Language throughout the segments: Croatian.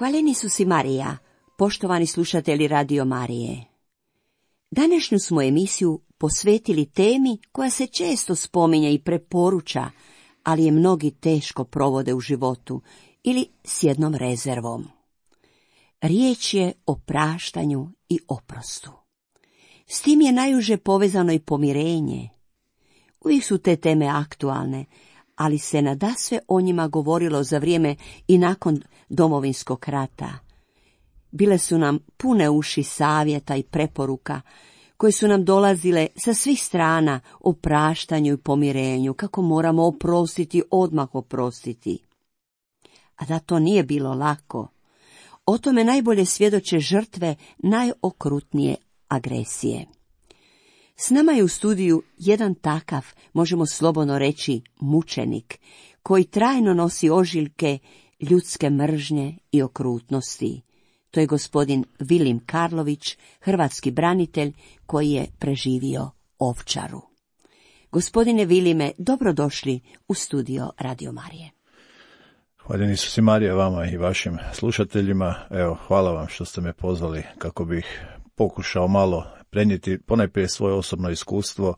Hvaljeni su si Marija, poštovani slušatelji Radio Marije. Današnju smo emisiju posvetili temi koja se često spominje i preporuča, ali je mnogi teško provode u životu ili s jednom rezervom. Riječ je o praštanju i oprostu. S tim je najuže povezano i pomirenje. Uvijek su te teme aktualne, ali se nadasve o njima govorilo za vrijeme i nakon Domovinskog rata. Bile su nam pune uši savjeta i preporuka koje su nam dolazile sa svih strana o praštanju i pomirenju, kako moramo oprostiti, odmah oprostiti. A da to nije bilo lako, o tome najbolje svjedoče žrtve najokrutnije agresije. S nama je u studiju jedan takav, možemo slobodno reći, mučenik, koji trajno nosi ožiljke ljudske mržnje i okrutnosti. To je gospodin Vilim Karlović, hrvatski branitelj koji je preživio Ovčaru. Gospodine Vilime, dobrodošli u studio Radio Marije. Hvaljeni su si Marija vama i vašim slušateljima. Evo, hvala vam što ste me pozvali kako bih pokušao malo prenijeti ponajprije svoje osobno iskustvo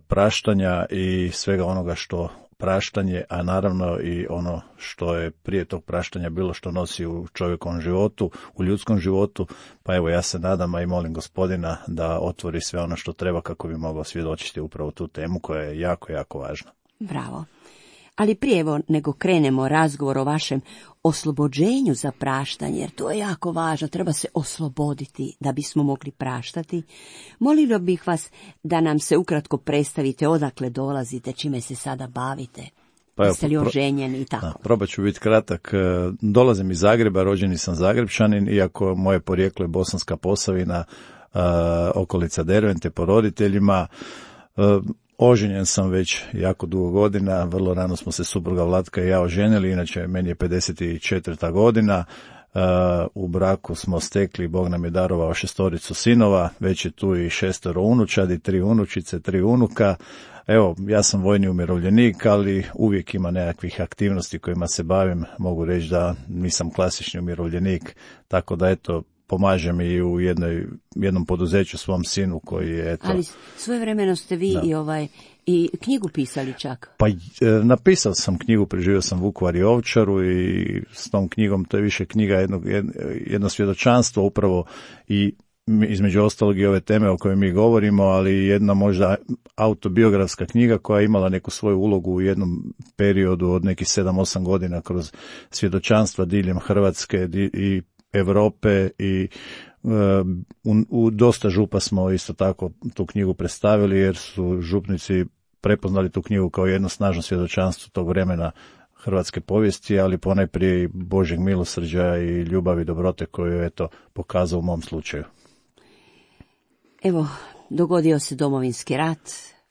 praštanja i svega onoga što praštanje, a naravno i ono što je prije tog praštanja bilo što nosi u čovjekovom životu, u ljudskom životu. Pa evo, ja se nadam, a i molim Gospodina da otvori sve ono što treba kako bi mogao svjedočiti upravo tu temu koja je jako, jako važna. Bravo. Ali prije nego krenemo razgovor o vašem oslobođenju za praštanje, jer to je jako važno, treba se osloboditi da bismo mogli praštati, molila bih vas da nam se ukratko predstavite odakle dolazite, čime se sada bavite. Pa jeste li oženjeni i tako? Probat ću biti kratak. Dolazim iz Zagreba, rođeni sam Zagrebčanin, iako moje porijeklo je Bosanska Posavina, okolica Dervente po roditeljima. Oženjen sam već jako dugo godina, vrlo rano smo se supruga Vlatka i ja oženili, inače meni je 54. godina, u braku smo stekli, Bog nam je darovao 6 sinova, već je tu i 6 unučadi, 3 unučice, 3 unuka. Evo, ja sam vojni umirovljenik, ali uvijek ima nekakvih aktivnosti kojima se bavim, mogu reći da nisam klasični umirovljenik, tako da eto, pomažem i u jednom poduzeću svom sinu koji je eto... Ali svojevremeno ste vi i knjigu pisali čak. Pa napisao sam knjigu, preživio sam Vukovar i Ovčaru i s tom knjigom, to je više knjiga jedno svjedočanstvo upravo i između ostalog i ove teme o kojoj mi govorimo, ali jedna možda autobiografska knjiga koja je imala neku svoju ulogu u jednom periodu od nekih 7-8 godina kroz svjedočanstva diljem Hrvatske i Europe i u dosta župa smo isto tako tu knjigu predstavili jer su župnici prepoznali tu knjigu kao jedno snažno svjedočanstvo tog vremena hrvatske povijesti, ali ponajprije i Božjeg milosrđa i ljubavi i dobrote koju je eto pokazao u mom slučaju. Evo, dogodio se Domovinski rat,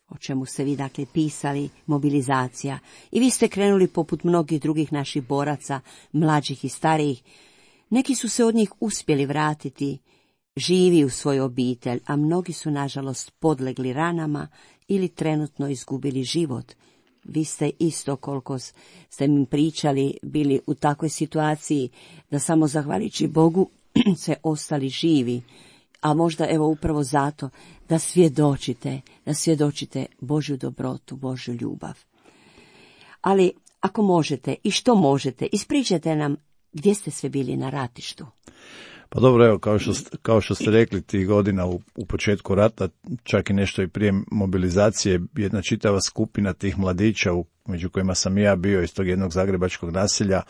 o čemu ste vi dakle pisali, mobilizacija, i vi ste krenuli poput mnogih drugih naših boraca, mlađih i starijih. Neki su se od njih uspjeli vratiti živi u svoju obitelj, a mnogi su nažalost podlegli ranama ili trenutno izgubili život. Vi ste isto, koliko ste mi pričali, bili u takvoj situaciji da samo zahvaljujući Bogu se ostali živi, a možda evo upravo zato da svjedočite Božju dobrotu, Božju ljubav. Ali ako možete i što možete, ispričajte nam gdje ste sve bili na ratištu? Pa dobro, evo, kao što ste rekli, tih godina u početku rata, čak i nešto i prije mobilizacije, jedna čitava skupina tih mladića, među kojima sam i ja bio iz tog jednog zagrebačkog naselja,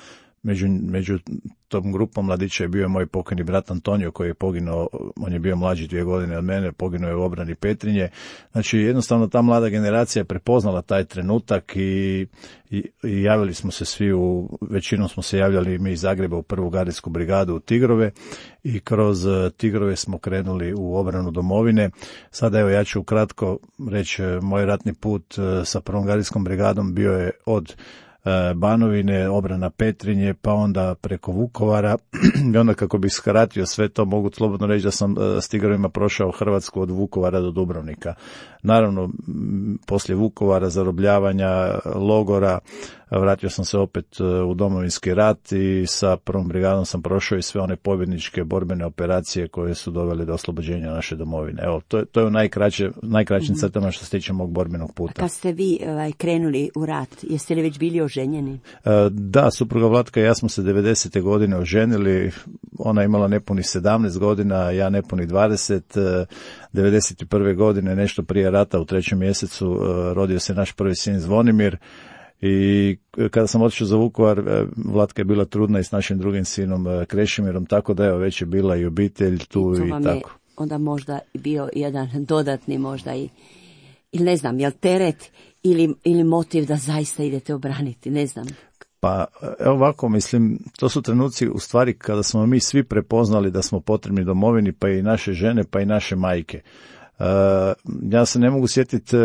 među tom grupom mladića je bio moj pokojni brat Antonio koji je poginuo, on je bio mlađi 2 godine od mene, poginuo je u obrani Petrinje. Znači jednostavno ta mlada generacija je prepoznala taj trenutak i javili smo se svi, većinom smo se javljali mi iz Zagreba u 1. gardijsku brigadu u Tigrove i kroz Tigrove smo krenuli u obranu domovine. Sada evo ja ću ukratko reći, moj ratni put sa 1. gardijskom brigadom bio je od Banovine, obrana Petrinje, pa onda preko Vukovara i onda kako bih skratio sve to, mogu slobodno reći da sam s Tigrovima prošao Hrvatsku od Vukovara do Dubrovnika. Naravno, poslije Vukovara, zarobljavanja, logora, vratio sam se opet u Domovinski rat i sa prvom brigadom sam prošao i sve one pobjedničke borbene operacije koje su dovele do oslobođenja naše domovine. Evo, to je u najkraćim crtama što se tiče mog borbenog puta. A kad ste vi krenuli u rat, jeste li već bili oženjeni? Da, supruga Vlatka i ja smo se 90. godine oženili, ona imala nepunih 17 godina, ja nepunih 20, 91. godine, nešto prije rata u 3. mjesecu, rodio se naš prvi sin Zvonimir i kada sam otišao za Vukovar, Vlatka je bila trudna i s našim drugim sinom Krešimirom, tako da evo, već je bila i obitelj tu i tako. Onda možda bio jedan dodatni možda ili ne znam, jel teret ili motiv da zaista idete obraniti, ne znam. Pa evo ovako, mislim, to su trenuci u stvari kada smo mi svi prepoznali da smo potrebni domovini, pa i naše žene, pa i naše majke. Ja se ne mogu sjetiti,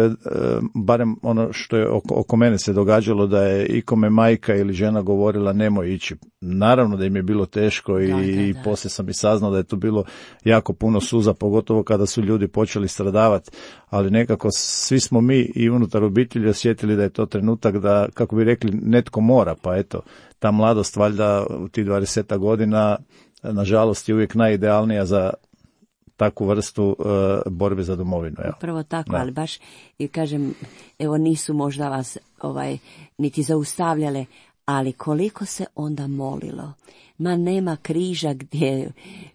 barem ono što je oko mene se događalo, da je ikome majka ili žena govorila nemoj ići. Naravno da im je bilo teško i poslije sam i saznao da je tu bilo jako puno suza, pogotovo kada su ljudi počeli stradavati, ali nekako svi smo mi i unutar obitelji osjetili da je to trenutak da, kako bi rekli, netko mora, pa eto, ta mladost valjda u tih 20 godina, nažalost, je uvijek najidealnija za takvu vrstu borbe za domovinu. Evo. Upravo tako, ali baš i kažem, evo nisu možda vas niti zaustavljale, ali koliko se onda molilo. Ma nema križa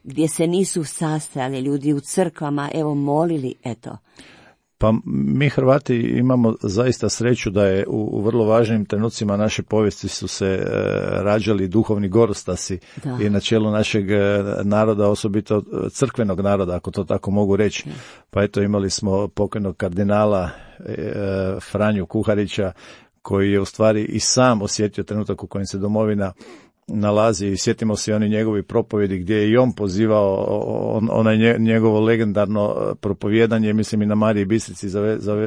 gdje se nisu sastajali ljudi u crkvama, evo molili, eto. Pa mi Hrvati imamo zaista sreću da je u vrlo važnim trenucima naše povijesti su se rađali duhovni gorostasi i na čelu našeg naroda, osobito crkvenog naroda, ako to tako mogu reći. Pa eto, imali smo pokojnog kardinala Franju Kuharića, koji je u stvari i sam osjetio trenutak u kojem se domovina nalazi i sjetimo se oni njegovi propovjedi gdje je i on pozivao onaj njegovo legendarno propovijedanje, mislim i na Mariji Bistrici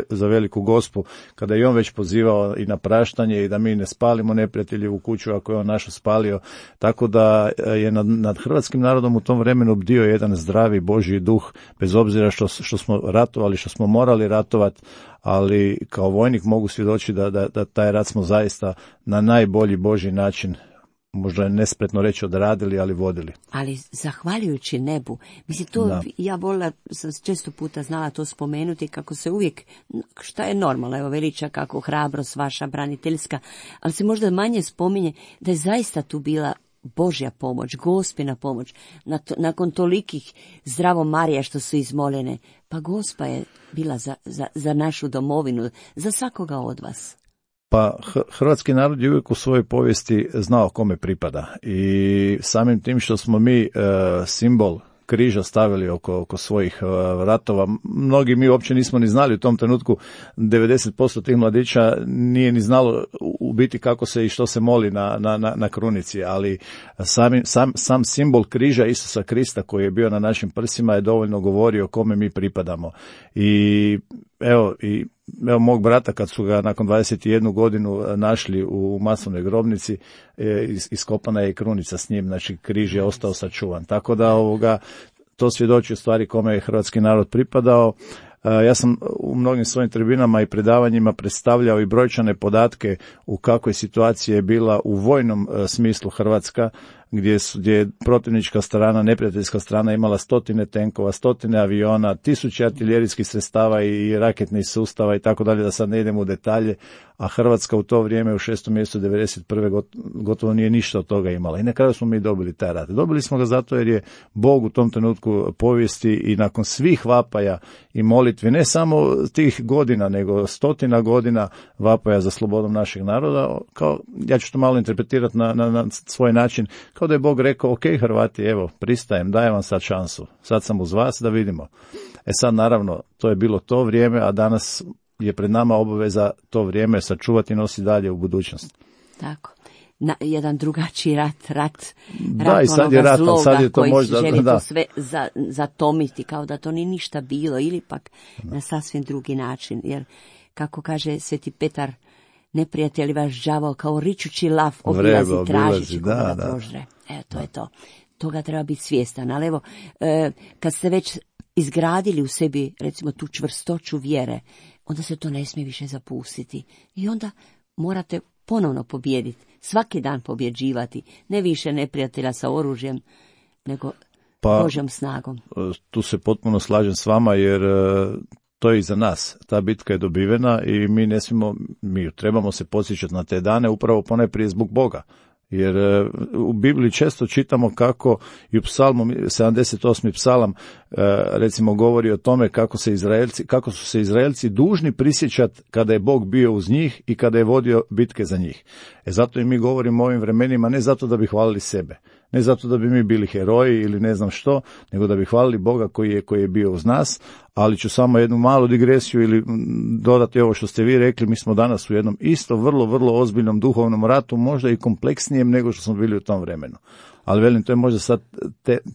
za Veliku Gospu, kada je on već pozivao i na praštanje i da mi ne spalimo neprijateljevu kuću ako je on našu spalio, tako da je nad hrvatskim narodom u tom vremenu bdio jedan zdravi Božji duh, bez obzira što smo ratovali, što smo morali ratovati, ali kao vojnik mogu svjedočiti da taj rat smo zaista na najbolji Božji način, možda je nespretno reći odradili, ali vodili. Ali zahvaljujući nebu, mislim to, ja volila, sam često puta znala to spomenuti, kako se uvijek, šta je normalno, evo veliča kako hrabrost vaša braniteljska, ali se možda manje spominje da je zaista tu bila Božja pomoć, Gospina pomoć, nakon tolikih zdravo Marija što su izmoljene, pa Gospa je bila za našu domovinu, za svakoga od vas. Pa hrvatski narod je uvijek u svojoj povijesti znao kome pripada i samim tim što smo mi simbol križa stavili oko svojih vratova, mnogi mi uopće nismo ni znali u tom trenutku, 90% tih mladića nije ni znalo u biti kako se i što se moli na krunici, ali sam simbol križa Isusa Krista koji je bio na našim prsima je dovoljno govorio kome mi pripadamo. I evo mog brata kad su ga nakon 21 godinu našli u masovnoj grobnici, iskopana je i krunica s njim, znači križ je ostao sačuvan. Tako da to svjedoči u stvari kome je hrvatski narod pripadao. Ja sam u mnogim svojim tribinama i predavanjima predstavljao i brojčane podatke u kakvoj situaciji je bila u vojnom smislu Hrvatska, gdje je protivnička strana, neprijateljska strana imala 100 tenkova, 100 aviona, 1000 artiljerijskih sredstava i raketnih sustava i tako dalje, da sad ne idemo u detalje, a Hrvatska u to vrijeme u 6. mjesecu 1991. gotovo nije ništa od toga imala. I na kraju smo mi dobili taj rat. Dobili smo ga zato jer je Bog u tom trenutku povijesti i nakon svih vapaja i molitvi, ne samo tih godina, nego 100 godina vapaja za slobodom našeg naroda, kao, ja ću to malo interpretirati na svoj način, kao da je Bog rekao, ok Hrvati, evo, pristajem, dajem vam sad šansu, sad sam uz vas da vidimo. Sad naravno, to je bilo to vrijeme, a danas je pred nama obaveza to vrijeme sačuvati i nositi dalje u budućnost. Tako. Jedan drugačiji rat da, i sad je rat, zloga, sad je to koji možda, želi da. To sve zatomiti, kao da to nije ništa bilo, ili pak na sasvim drugi način, jer kako kaže Sveti Petar, neprijatelj vaš đavao kao ričući lav obilazi, tražići koga da prožre. To je to. Toga treba biti svjestan. Ali evo, kad ste već izgradili u sebi, recimo, tu čvrstoću vjere, onda se to ne smije više zapustiti. I onda morate ponovno pobijediti, svaki dan pobjeđivati, ne više neprijatelja sa oružjem, nego Božjom snagom. Tu se potpuno slažem s vama, jer to je i za nas. Ta bitka je dobivena i mi trebamo se podsjećati na te dane upravo ponajprije zbog Boga. Jer u Bibliji često čitamo kako i u psalmu, 78. psalam recimo govori o tome kako su se Izraelci dužni prisjećati kada je Bog bio uz njih i kada je vodio bitke za njih. Zato i mi govorimo o ovim vremenima ne zato da bi hvalili sebe, ne zato da bi mi bili heroji ili ne znam što, nego da bi hvalili Boga koji je bio uz nas. Ali ću samo jednu malu digresiju ili dodati ovo što ste vi rekli. Mi smo danas u jednom isto vrlo, vrlo ozbiljnom duhovnom ratu, možda i kompleksnijem nego što smo bili u tom vremenu. Ali velim, to je možda sad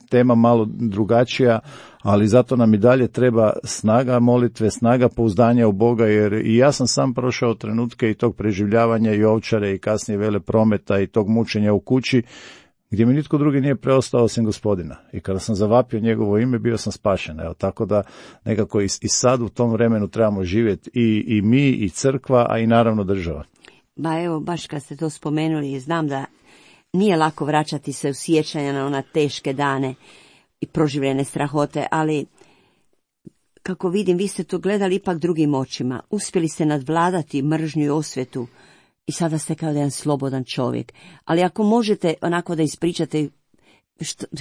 tema malo drugačija, ali zato nam i dalje treba snaga molitve, snaga pouzdanja u Boga, jer i ja sam sam prošao trenutke i tog preživljavanja i Ovčare i kasnije Veleprometa i tog mučenja u kući, gdje mi nitko drugi nije preostao osim Gospodina. I kada sam zavapio njegovo ime, bio sam spašen. Evo, tako da nekako i sad u tom vremenu trebamo živjeti i mi, i crkva, a i naravno država. Ba evo, baš kad ste to spomenuli, znam da nije lako vraćati se u sjećanja na ona teške dane i proživljene strahote, ali kako vidim, vi ste to gledali ipak drugim očima. Uspjeli ste nadvladati mržnju i osvetu i sada ste kao jedan slobodan čovjek. Ali ako možete onako da ispričate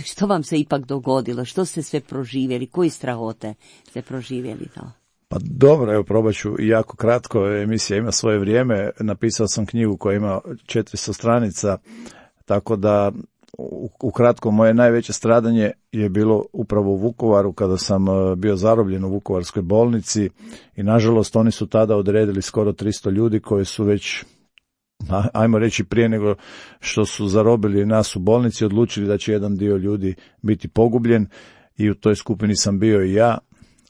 što vam se ipak dogodilo, što ste sve proživjeli, koji strahote ste proživjeli to? Pa dobro, evo probat ću jako kratko, emisija ima svoje vrijeme, napisao sam knjigu koja ima 400 stranica, tako da ukratko moje najveće stradanje je bilo upravo u Vukovaru kada sam bio zarobljen u Vukovarskoj bolnici i nažalost oni su tada odredili skoro 300 ljudi koji su već, ajmo reći prije nego što su zarobili nas u bolnici, odlučili da će jedan dio ljudi biti pogubljen i u toj skupini sam bio i ja.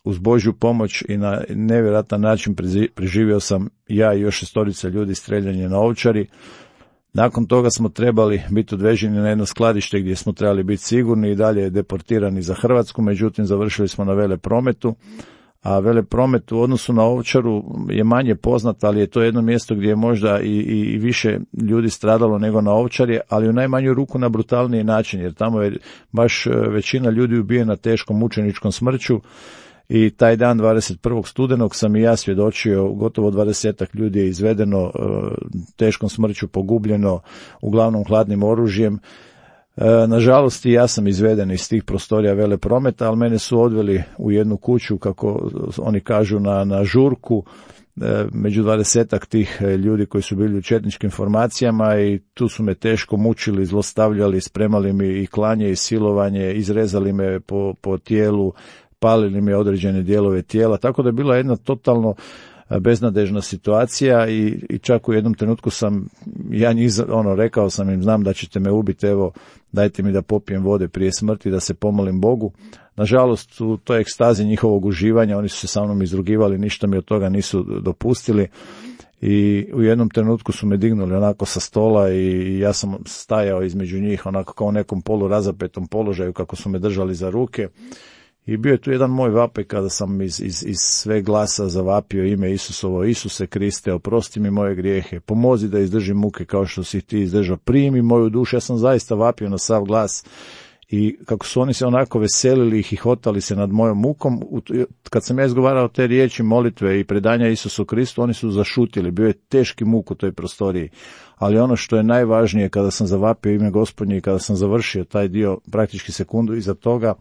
Uz Božju pomoć i na nevjerojatan način preživio sam ja i još 6 ljudi streljanje na Ovčari. Nakon toga smo trebali biti odveženi na jedno skladište gdje smo trebali biti sigurni i dalje deportirani za Hrvatsku, međutim završili smo na Veleprometu, a Velepromet u odnosu na Ovčaru je manje poznat, ali je to jedno mjesto gdje je možda i više ljudi stradalo nego na Ovčari, ali u najmanju ruku na brutalniji način, jer tamo je baš većina ljudi ubijena teškom mučeničkom smrću. I taj dan 21. studenog sam i ja svjedočio, gotovo 20 ljudi je izvedeno, teškom smrću pogubljeno, uglavnom hladnim oružjem. Nažalost i ja sam izveden iz tih prostorija Veleprometa, ali mene su odveli u jednu kuću, kako oni kažu, na žurku, među 20 tih ljudi koji su bili u četničkim formacijama i tu su me teško mučili, zlostavljali, spremali mi i klanje i silovanje, izrezali me po tijelu, palili mi određene dijelove tijela, tako da je bila jedna totalno beznadežna situacija i čak u jednom trenutku sam ja njih rekao sam im, znam da ćete me ubiti, evo dajte mi da popijem vode prije smrti, da se pomolim Bogu. Nažalost u toj ekstazi njihovog uživanja oni su se sa mnom izrugivali, ništa mi od toga nisu dopustili i u jednom trenutku su me dignuli onako sa stola i ja sam stajao između njih onako kao u nekom polurazapetom položaju kako su me držali za ruke. I bio je tu jedan moj vapaj kada sam iz sve glasa zavapio ime Isusovo: Isuse Kriste, oprosti mi moje grijehe, pomozi da izdržim muke kao što si ti izdržao, primi moju dušu. Ja sam zaista vapio na sav glas i kako su oni se onako veselili i hihotali se nad mojom mukom, kad sam ja izgovarao te riječi molitve i predanja Isusu Kristu, oni su zašutili, bio je teški muk u toj prostoriji. Ali ono što je najvažnije, kada sam zavapio ime Gospodnje i kada sam završio taj dio, praktički sekundu iza toga,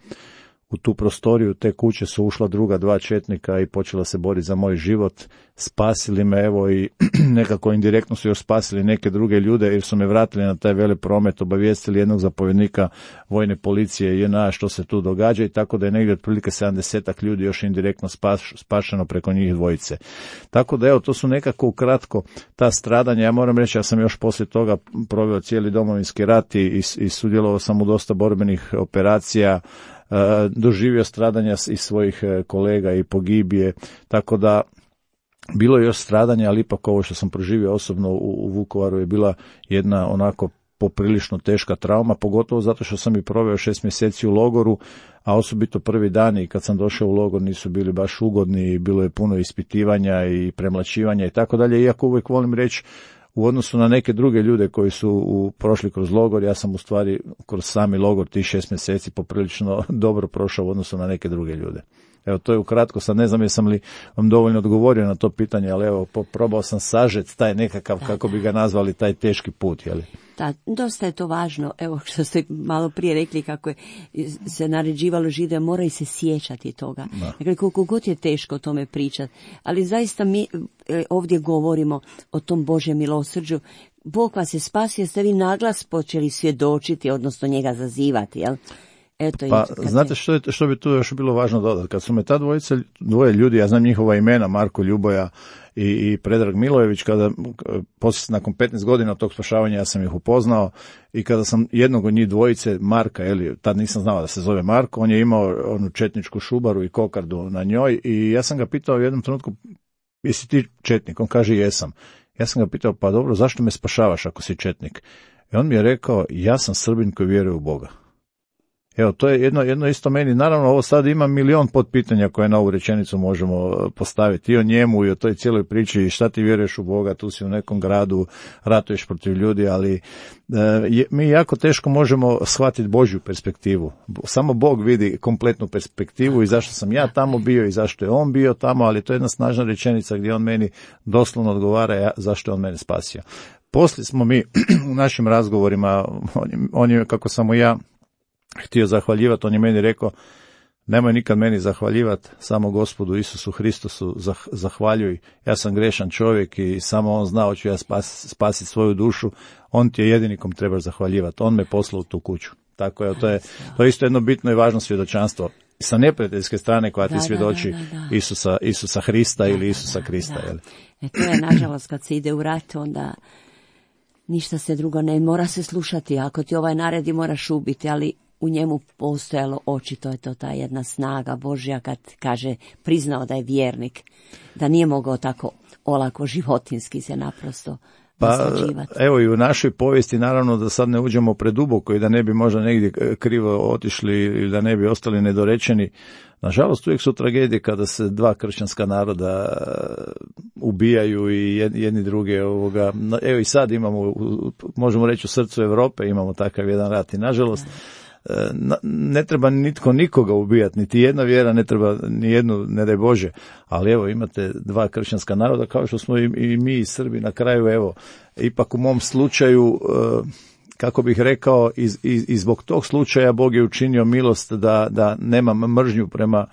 u tu prostoriju te kuće su ušla druga 2 četnika i počela se boriti za moj život. Spasili me, evo, i nekako indirektno su još spasili neke druge ljude jer su me vratili na taj Velepromet, obavijestili jednog zapovjednika vojne policije JNA što se tu događa i tako da je negdje otprilike 70 ljudi još indirektno spašeno preko njih dvojice. Tako da evo, to su nekako ukratko ta stradanja. Ja moram reći, ja sam još poslije toga proveo cijeli Domovinski rat i sudjelovao sam u dosta borbenih operacija, doživio stradanja i svojih kolega i pogibije, tako da bilo je još stradanja, ali ipak ovo što sam proživio osobno u Vukovaru je bila jedna onako poprilično teška trauma, pogotovo zato što sam i proveo 6 mjeseci u logoru, a osobito prvi dani kad sam došao u logor nisu bili baš ugodni, bilo je puno ispitivanja i premlaćivanja i tako dalje, iako uvijek volim reći, u odnosu na neke druge ljude koji su prošli kroz logor, ja sam u stvari kroz sami logor tih 6 mjeseci poprilično dobro prošao u odnosu na neke druge ljude. Evo, to je ukratko, sad ne znam jesam li vam dovoljno odgovorio na to pitanje, ali evo, probao sam sažeti taj nekakav, kako bi ga nazvali, taj teški put, jeli? Da, dosta je to važno, evo što ste malo prije rekli kako je se naređivalo Žide, moraju se sjećati toga. Dakle, koliko god je teško o tome pričati, ali zaista mi ovdje govorimo o tom Božjem milosrđu. Bog vas je spasio, ste vi naglas počeli svjedočiti, odnosno njega zazivati, jel? Eto, pa, znate što bi tu još bilo važno dodati? Kad su me ta dvoje ljudi, ja znam njihova imena, Marko Ljuboja i Predrag Milojević, kada poslije nakon 15 godina od tog spašavanja ja sam ih upoznao i kada sam jednog od njih dvojice, Marka, tad nisam znao da se zove Marko, on je imao onu četničku šubaru i kokardu na njoj i ja sam ga pitao u jednom trenutku, jesi ti četnik? On kaže jesam. Ja sam ga pitao, pa dobro, zašto me spašavaš ako si četnik? I on mi je rekao, ja sam Srbin koji vjeruje u Boga. Evo, to je jedno isto meni. Naravno, ovo sad ima milion potpitanja koje na ovu rečenicu možemo postaviti. I o njemu i o toj cijeloj priči, šta ti vjeruješ u Boga, tu si u nekom gradu, ratuješ protiv ljudi, ali mi jako teško možemo shvatiti Božju perspektivu. Samo Bog vidi kompletnu perspektivu i zašto sam ja tamo bio i zašto je on bio tamo, ali to je jedna snažna rečenica gdje on meni doslovno odgovara zašto je on mene spasio. Poslije smo mi u našim razgovorima, on je, kako sam mu ja htio zahvaljivati, on je meni rekao, nemoj nikad meni zahvaljivati, samo Gospodu Isusu Hristosu zahvaljuj, ja sam grešan čovjek i samo on zna hoću ja spasiti svoju dušu, on ti je jedini kom trebaš zahvaljivati, on me poslao u tu kuću. Tako je, to je isto jedno bitno i važno svjedočanstvo sa neprijateljske strane koja ti svjedoči Isusa Hrista ili Isusa Krista. To je, nažalost, kad se ide u rat, onda ništa se drugo ne mora se slušati, ako ti ovaj naredi moraš ubiti, ali u njemu postojalo očito je to ta jedna snaga Božja kad kaže, priznao da je vjernik, da nije mogao tako olako životinski se naprosto naslađivati. Pa evo i u našoj povijesti, naravno da sad ne uđemo preduboko i da ne bi možda negdje krivo otišli ili da ne bi ostali nedorečeni. Nažalost, uvijek su tragedije kada se dva kršćanska naroda ubijaju i jedni druge. Evo i sad imamo, možemo reći u srcu Europe imamo takav jedan rat i nažalost ne treba nitko nikoga ubijati, niti jedna vjera ne treba ni jednu, ne daj Bože, ali evo imate dva kršćanska naroda kao što smo i mi i Srbi na kraju, evo, ipak u mom slučaju, kako bih rekao, i zbog tog slučaja Bog je učinio milost da nemam mržnju prema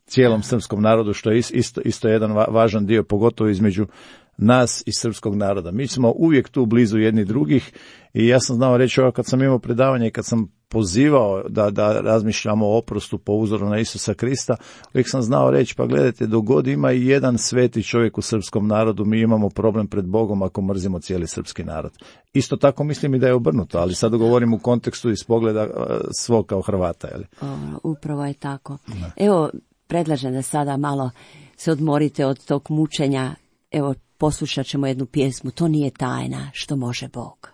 cijelom srpskom narodu, što je isto jedan važan dio, pogotovo između nas i srpskog naroda. Mi smo uvijek tu blizu jedni drugih i ja sam znao reći ovo kad sam imao predavanje i kad sam pozivao da razmišljamo o oprostu po uzoru na Isusa Krista, uvijek sam znao reći, pa gledajte, dok god ima i jedan sveti čovjek u srpskom narodu, mi imamo problem pred Bogom ako mrzimo cijeli srpski narod. Isto tako mislim i da je obrnuto, ali sad govorim u kontekstu iz pogleda svog kao Hrvata. Jeli? Upravo je tako. Da. Evo, predlažem da sada malo se odmorite od tog mučenja. Evo, poslušat ćemo jednu pjesmu, to nije tajna, što može Bog.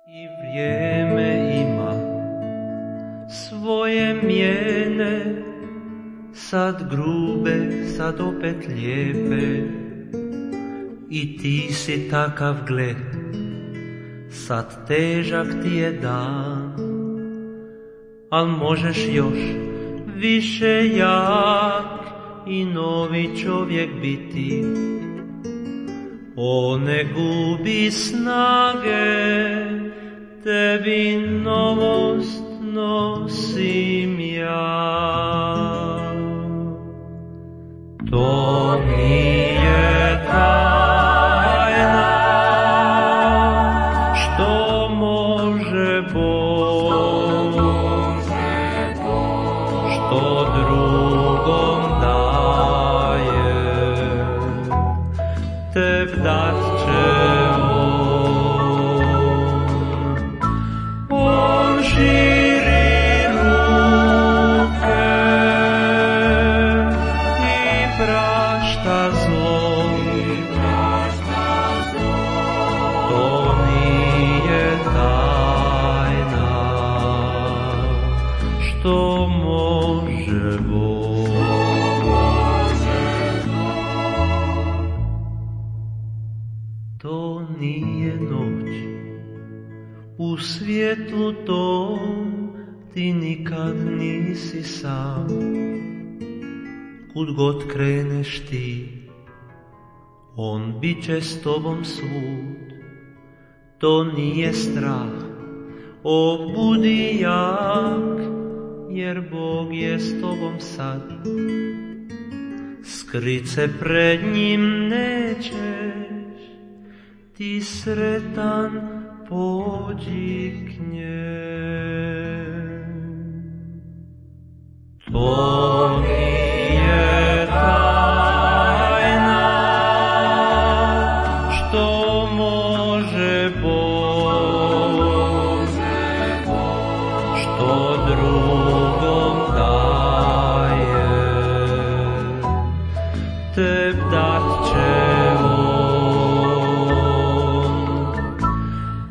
I vrijeme ima svoje mijene, sad grube, sad opet lijepe, i ti si takav, gle, sad težak ti je dan, al možeš još više jak i novi čovjek biti. O, ne gubi snage, tebi novost nosim ja. To nije tajna, što može Bog, što drugom daje, teb dat će on širi ruke i prašta zlo, to nije tajna, što može Bog. to nije noć. U svijetu tom ti nikad nisi sam. Kud god kreneš ti, on bit će s tobom svud. To nije strah, o budi jak, jer Bog je s tobom sad. Skrit se pred njim nećeš, ti sretan pođi k njem. To nije tajna, što može Bog, što drugom daje, te dat će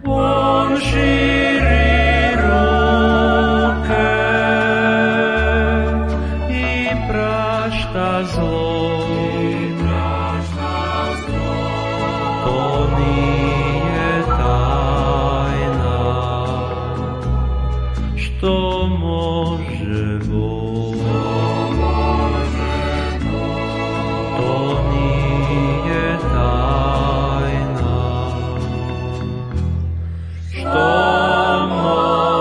on širi ruke i prašta zlo. To nije tajna, što može Bog. To nije tajna, što može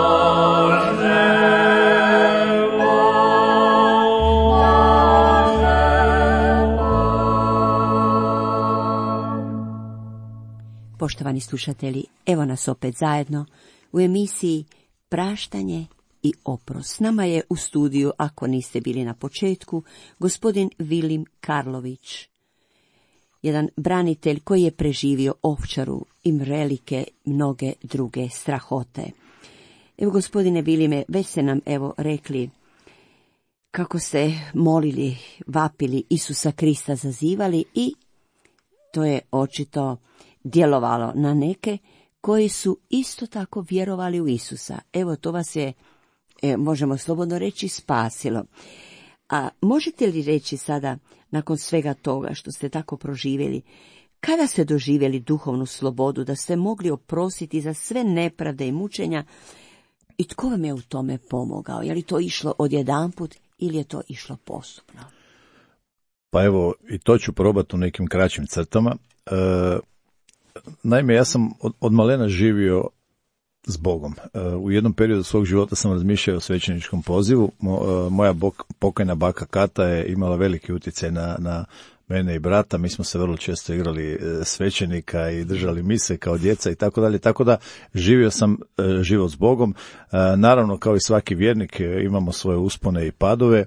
Poštovani slušatelji, evo nas opet zajedno u emisiji Praštanje i oprost. S nama je u studiju, ako niste bili na početku, gospodin Vilim Karlović, jedan branitelj koji je preživio Ovčaru i velike mnoge druge strahote. Evo, gospodine Vilime, već ste nam rekli kako ste molili, vapili Isusa Krista, zazivali, i to je očito djelovalo na neke koji su isto tako vjerovali u Isusa. Evo, to vas je, možemo slobodno reći, spasilo. A možete li reći sada, nakon svega toga što ste tako proživjeli, kada ste doživjeli duhovnu slobodu, da ste mogli oprostiti za sve nepravde i mučenja, i tko vam je u tome pomogao? Je li to išlo odjedanput ili je to išlo postupno? Pa evo, i to ću probati u nekim kraćim crtama. Naime, ja sam od malena živio s Bogom. U jednom periodu svog života sam razmišljao o svećeničkom pozivu. Moja pokojna baka Kata je imala veliki utjecaj na mene i brata. Mi smo se vrlo često igrali svećenika i držali mise kao djeca i tako dalje. Tako da živio sam život s Bogom. Naravno, kao i svaki vjernik, imamo svoje uspone i padove.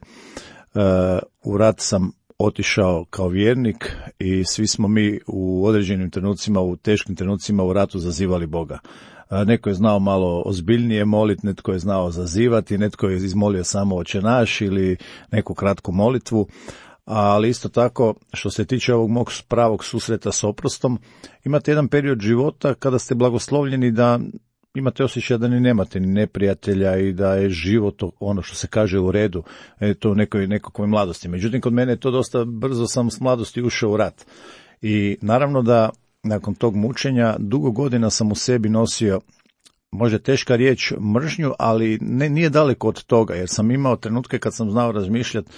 U rat sam otišao kao vjernik i svi smo mi u određenim trenucima, u teškim trenucima u ratu zazivali Boga. Neko je znao malo ozbiljnije moliti, netko je znao zazivati, netko je izmolio samo Oče naš ili neku kratku molitvu, ali isto tako, što se tiče ovog mog pravog susreta s oprostom, imate jedan period života kada ste blagoslovljeni da imate osjećaj da ni nemate ni neprijatelja i da je život ono što se kaže u redu, to u nekakvoj mladosti. Međutim, kod mene je to dosta brzo, sam s mladosti ušao u rat. I naravno da nakon tog mučenja dugo godina sam u sebi nosio, možda teška riječ, mržnju, ali nije daleko od toga, jer sam imao trenutke kad sam znao razmišljati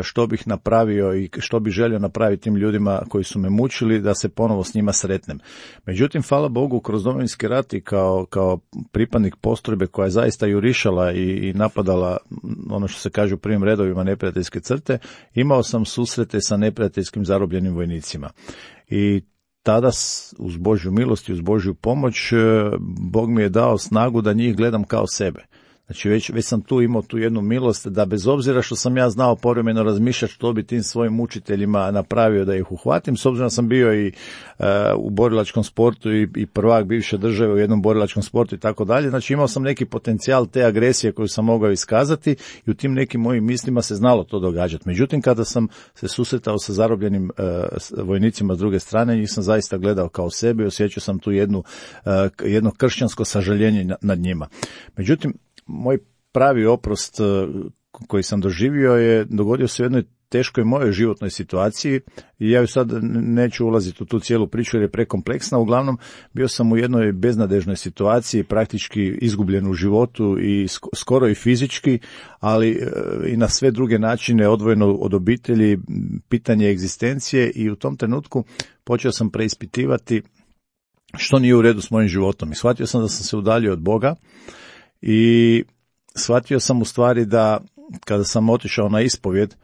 što bih napravio i što bih želio napraviti tim ljudima koji su me mučili, da se ponovo s njima sretnem. Međutim, hvala Bogu, kroz Domovinski rat i kao pripadnik postrojbe koja je zaista jurišala i napadala, ono što se kaže, u prvim redovima neprijateljske crte, imao sam susrete sa neprijateljskim zarobljenim vojnicima. I tada, uz Božju milost i uz Božju pomoć, Bog mi je dao snagu da njih gledam kao sebe. Znači, već sam tu imao tu jednu milost da bez obzira što sam ja znao povremeno razmišljati što bi tim svojim učiteljima napravio da ih uhvatim, s obzirom da sam bio i u borilačkom sportu i prvak bivše države u jednom borilačkom sportu i tako dalje. Znači, imao sam neki potencijal te agresije koju sam mogao iskazati i u tim nekim mojim mislima se znalo to događati. Međutim, kada sam se susretao sa zarobljenim vojnicima s druge strane, njih sam zaista gledao kao sebe i osjećao sam tu jedno kršćansko sažaljenje nad njima. Međutim, moj pravi oprost koji sam doživio dogodio se u jednoj teškoj mojoj životnoj situaciji i ja ju sad neću ulaziti u tu cijelu priču jer je prekompleksna. Uglavnom, bio sam u jednoj beznadežnoj situaciji, praktički izgubljen u životu i skoro i fizički, ali i na sve druge načine, odvojeno od obitelji, pitanje egzistencije, i u tom trenutku počeo sam preispitivati što nije u redu s mojim životom. I shvatio sam da sam se udaljio od Boga i shvatio sam u stvari da kada sam otišao na ispovjed,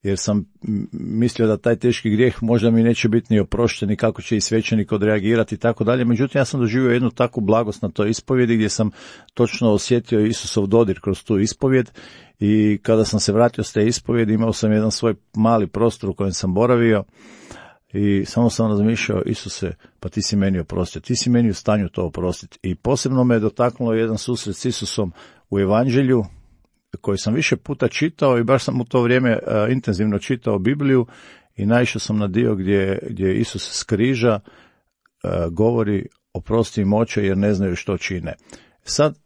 jer sam mislio da taj teški grijeh možda mi neće biti ni oprošten i kako će i svećenik odreagirati i tako dalje. Međutim, ja sam doživio jednu takvu blagost na toj ispovjedi gdje sam točno osjetio Isusov dodir kroz tu ispovjed, i kada sam se vratio s te ispovjedi imao sam jedan svoj mali prostor u kojem sam boravio i samo sam razmišljao: Isuse, pa ti si meni oprostio, ti si meni u stanju to oprostiti. I posebno me je dotaknulo jedan susret s Isusom u Evanđelju koji sam više puta čitao i baš sam u to vrijeme intenzivno čitao Bibliju i naišao sam na dio gdje Isus s križa govori: oprosti im oče jer ne znaju što čine. Sad,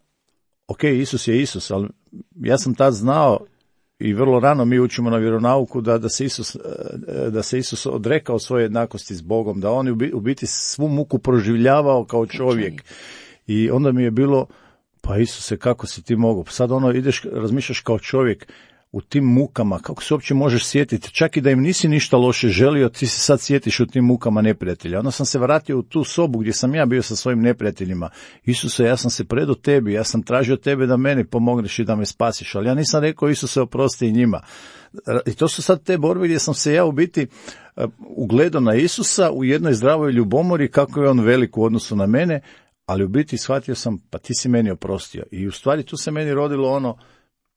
ok, Isus je Isus, ali ja sam tad znao i vrlo rano mi učimo na vjeronauku da se Isus odrekao svoje jednakosti s Bogom, da on u biti svu muku proživljavao kao čovjek. I onda mi je bilo: pa Isuse, kako si ti mogao? Sad ideš, razmišljaš kao čovjek u tim mukama, kako se uopće možeš sjetiti? Čak i da im nisi ništa loše želio, ti se sad sjetiš u tim mukama neprijatelja. Onda sam se vratio u tu sobu gdje sam ja bio sa svojim neprijateljima. Isuse, ja sam se predao tebi, ja sam tražio tebe da meni pomogneš i da me spasiš, ali ja nisam rekao: Isuse, oprosti i njima. I to su sad te borbe gdje sam se ja u biti ugledao na Isusa u jednoj zdravoj ljubomori, kako je on velik u odnosu na mene, ali u biti shvatio sam: pa ti si meni oprostio. I u stvari tu se meni rodilo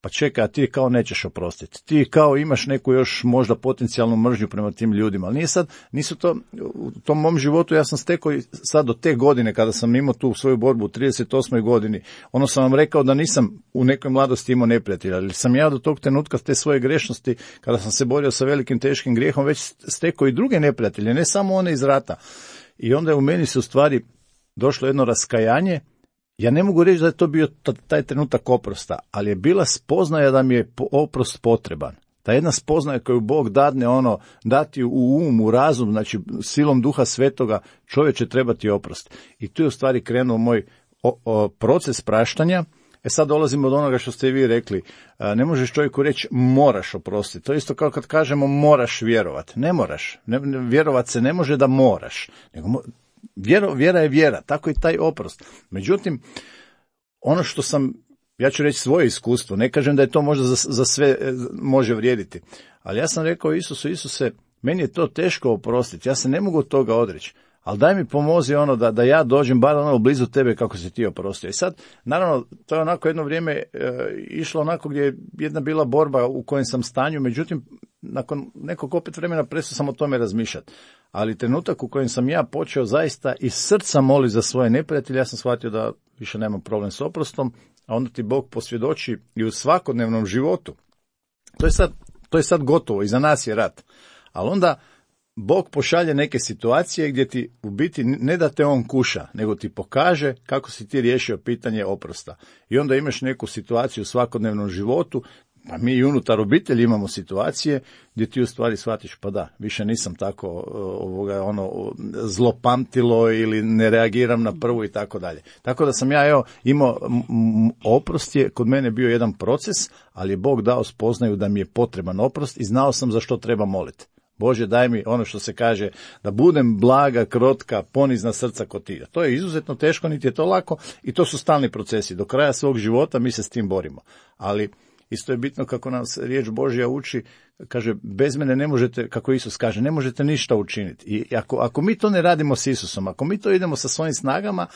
pa čekaj, a ti kao nećeš oprostiti. Ti kao imaš neku još možda potencijalnu mržnju prema tim ljudima. Ali nisu to, u tom mom životu ja sam stekao sad do te godine kada sam imao tu svoju borbu u 38. godini. Sam vam rekao da nisam u nekoj mladosti imao neprijatelja, ali sam ja do tog trenutka te svoje grešnosti, kada sam se borio sa velikim teškim grijehom, već stekao i druge neprijatelje, ne samo one iz rata. I onda je u meni se u stvari došlo jedno raskajanje. Ja ne mogu reći da je to bio taj trenutak oprosta, ali je bila spoznaja da mi je oprost potreban. Ta jedna spoznaja koju Bog dadne, dati u um, u razum, znači silom Duha Svetoga, čovječe, treba ti oprost. I tu je u stvari krenuo moj proces praštanja. Sad dolazimo od onoga što ste i vi rekli. Ne možeš čovjeku reći moraš oprostiti. To je isto kao kad kažemo moraš vjerovati. Ne moraš. Vjerovat se ne može da moraš. Nego vjera je vjera, tako i taj oprost. Međutim, ono što sam, ja ću reći svoje iskustvo, ne kažem da je to možda za sve može vrijediti, ali ja sam rekao Isuse, meni je to teško oprostiti, ja se ne mogu od toga odreći, ali daj mi pomozi da ja dođem bar blizu tebe kako si ti oprostio. I sad, naravno, to je onako jedno vrijeme išlo onako gdje je jedna bila borba u kojem sam stanju, međutim, nakon nekog opet vremena prestao sam o tome razmišljati. Ali trenutak u kojem sam ja počeo zaista iz srca moliti za svoje neprijatelje, ja sam shvatio da više nemam problem s oprostom, a onda ti Bog posvjedoči i u svakodnevnom životu. To je sad gotovo, iza nas je rat. Ali onda Bog pošalje neke situacije gdje ti u biti ne da te on kuša, nego ti pokaže kako si ti riješio pitanje oprosta. I onda imaš neku situaciju u svakodnevnom životu, pa mi i unutar obitelji imamo situacije gdje ti u stvari shvatiš: pa da, više nisam tako zlopamtilo ili ne reagiram na prvu i tako dalje. Tako da sam ja imao oprost je kod mene bio jedan proces, ali je Bog dao spoznaju da mi je potreban oprost i znao sam za što treba moliti. Bože, daj mi ono što se kaže, da budem blaga, krotka, ponizna srca kod ti. To je izuzetno teško, niti je to lako i to su stalni procesi. Do kraja svog života mi se s tim borimo. Ali isto je bitno kako nas riječ Božja uči, kaže, bez mene ne možete, kako Isus kaže, ne možete ništa učiniti. I ako mi to ne radimo s Isusom, ako mi to idemo sa svojim snagama,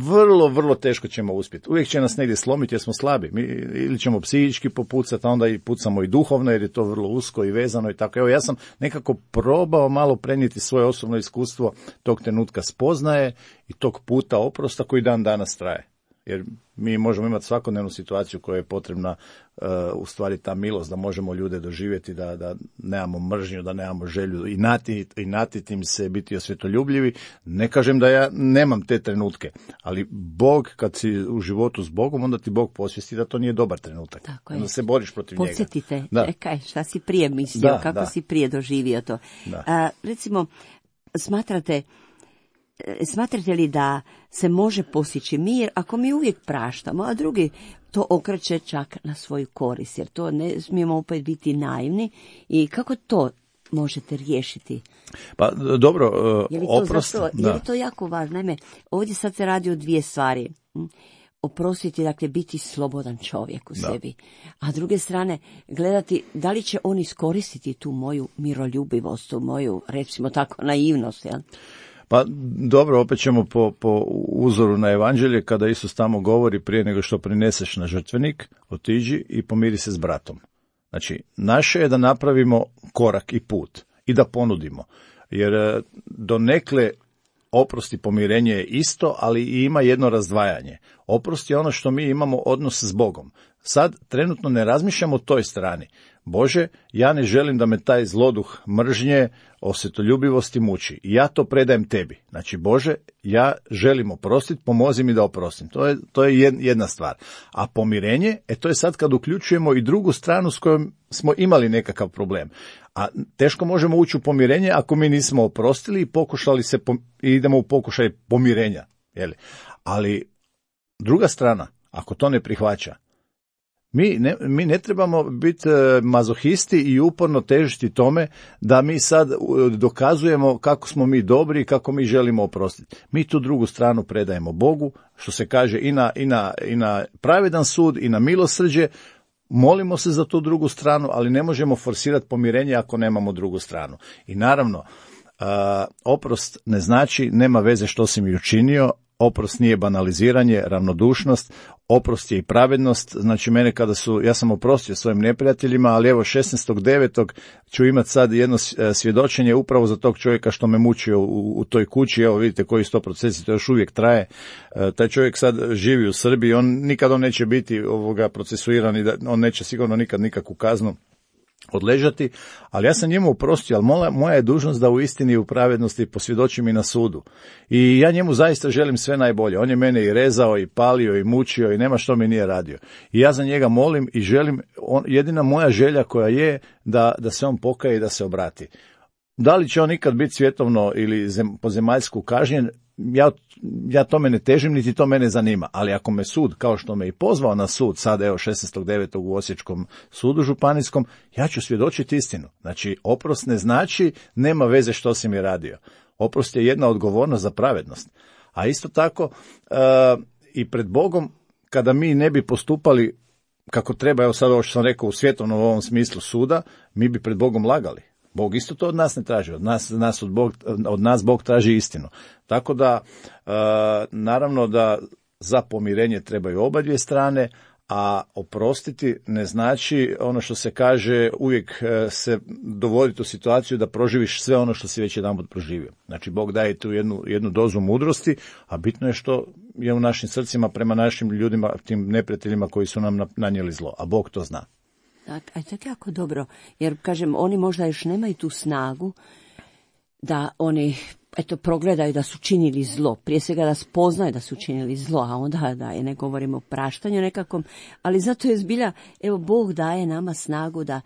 vrlo, vrlo teško ćemo uspjeti. Uvijek će nas negdje slomiti jer smo slabi. Mi ili ćemo psihički popucati, a onda i pucamo i duhovno jer je to vrlo usko i vezano i tako. Evo, ja sam nekako probao malo prenijeti svoje osobno iskustvo tog trenutka spoznaje i tog puta oprosta koji dan danas traje. Jer mi možemo imati svakodnevnu situaciju koja je potrebna, u stvari ta milost, da možemo ljude doživjeti, da nemamo mržnju, da nemamo želju i natiti im se, biti osvjetoljubljivi. Ne kažem da ja nemam te trenutke, ali Bog, kad si u životu s Bogom, onda ti Bog posvijesti da to nije dobar trenutak. Tako je. Onda se boriš protiv njega. Podsjetite, čekaj, šta si prije mislio, kako si prije doživio to. Recimo, smatrate li da se može postići mir ako mi uvijek praštamo, a drugi to okreće čak na svoju korist, jer to ne smijemo opet biti naivni, i kako to možete riješiti? Pa dobro, oprost. Je li to jako važno? Naime, ovdje sad se radi o dvije stvari. Oprostiti, dakle, biti slobodan čovjek u sebi. A s druge strane, gledati da li će on iskoristiti tu moju miroljubivost, tu moju, recimo tako, naivnost, jel? Pa dobro, opet ćemo po uzoru na evanđelje, kada Isus tamo govori, prije nego što prineseš na žrtvenik, otiđi i pomiri se s bratom. Znači, naše je da napravimo korak i put i da ponudimo. Jer donekle oprost i pomirenje je isto, ali i ima jedno razdvajanje. Oprost je ono što mi imamo odnos s Bogom. Sad trenutno ne razmišljamo o toj strani. Bože, ja ne želim da me taj zloduh mržnje, osvetoljubivosti muči. Ja to predajem tebi. Znači, Bože, ja želim oprostiti, pomozi mi da oprostim. To je jedna stvar. A pomirenje, to je sad kad uključujemo i drugu stranu s kojom smo imali nekakav problem. A teško možemo ući u pomirenje ako mi nismo oprostili i pokušali i idemo u pokušaj pomirenja. Jeli? Ali druga strana, ako to ne prihvaća, mi ne trebamo biti mazohisti i uporno težiti tome da mi sad dokazujemo kako smo mi dobri i kako mi želimo oprostiti. Mi tu drugu stranu predajemo Bogu, što se kaže i na pravedan sud i na milosrđe. Molimo se za tu drugu stranu, ali ne možemo forsirati pomirenje ako nemamo drugu stranu. I naravno, oprost ne znači nema veze što si mi učinio. Oprost nije banaliziranje, ravnodušnost, oprost je i pravednost. Znači, ja sam oprostio svojim neprijateljima, ali evo 16.9. ću imati sad jedno svjedočenje upravo za tog čovjeka što me mučio u toj kući. Evo vidite koji 100%, to još uvijek traje. Taj čovjek sad živi u Srbiji, on neće biti procesuiran i on neće sigurno nikad nikakvu kaznu odležati, ali ja sam njemu oprostio, ali moja je dužnost da u istini i u pravednosti posvjedočim i na sudu. I ja njemu zaista želim sve najbolje. On je mene i rezao, i palio, i mučio, i nema što mi nije radio. I ja za njega molim i želim, jedina moja želja koja je da se on pokaje i da se obrati. Da li će on ikad biti svjetovno ili po zemaljsku kažnjen, ja tome ne težim, niti to mene zanima, ali ako me sud, kao što me i pozvao na sud, sad evo 16.9. u Osječkom sudu županijskom, ja ću svjedočiti istinu. Znači, oprost ne znači nema veze što si mi radio. Oprost je jedna odgovornost za pravednost. A isto tako i pred Bogom, kada mi ne bi postupali kako treba, evo sad ovo što sam rekao u svjetovnom ovom smislu suda, mi bi pred Bogom lagali. Bog isto to od nas ne traži, od nas Bog traži istinu. Tako da, naravno da za pomirenje trebaju obadvije strane, a oprostiti ne znači ono što se kaže uvijek se dovoditi u situaciju da proživiš sve ono što si već jedanput proživio. Znači, Bog daje tu jednu dozu mudrosti, a bitno je što je u našim srcima prema našim ljudima, tim neprijateljima koji su nam nanijeli zlo, a Bog to zna. A to je jako dobro, jer kažem, oni možda još nemaju tu snagu da oni progledaju da su činili zlo, prije svega da spoznaju da su činili zlo, a onda da ne govorimo o praštanju nekakvom, ali zato je zbilja, evo, Bog daje nama snagu da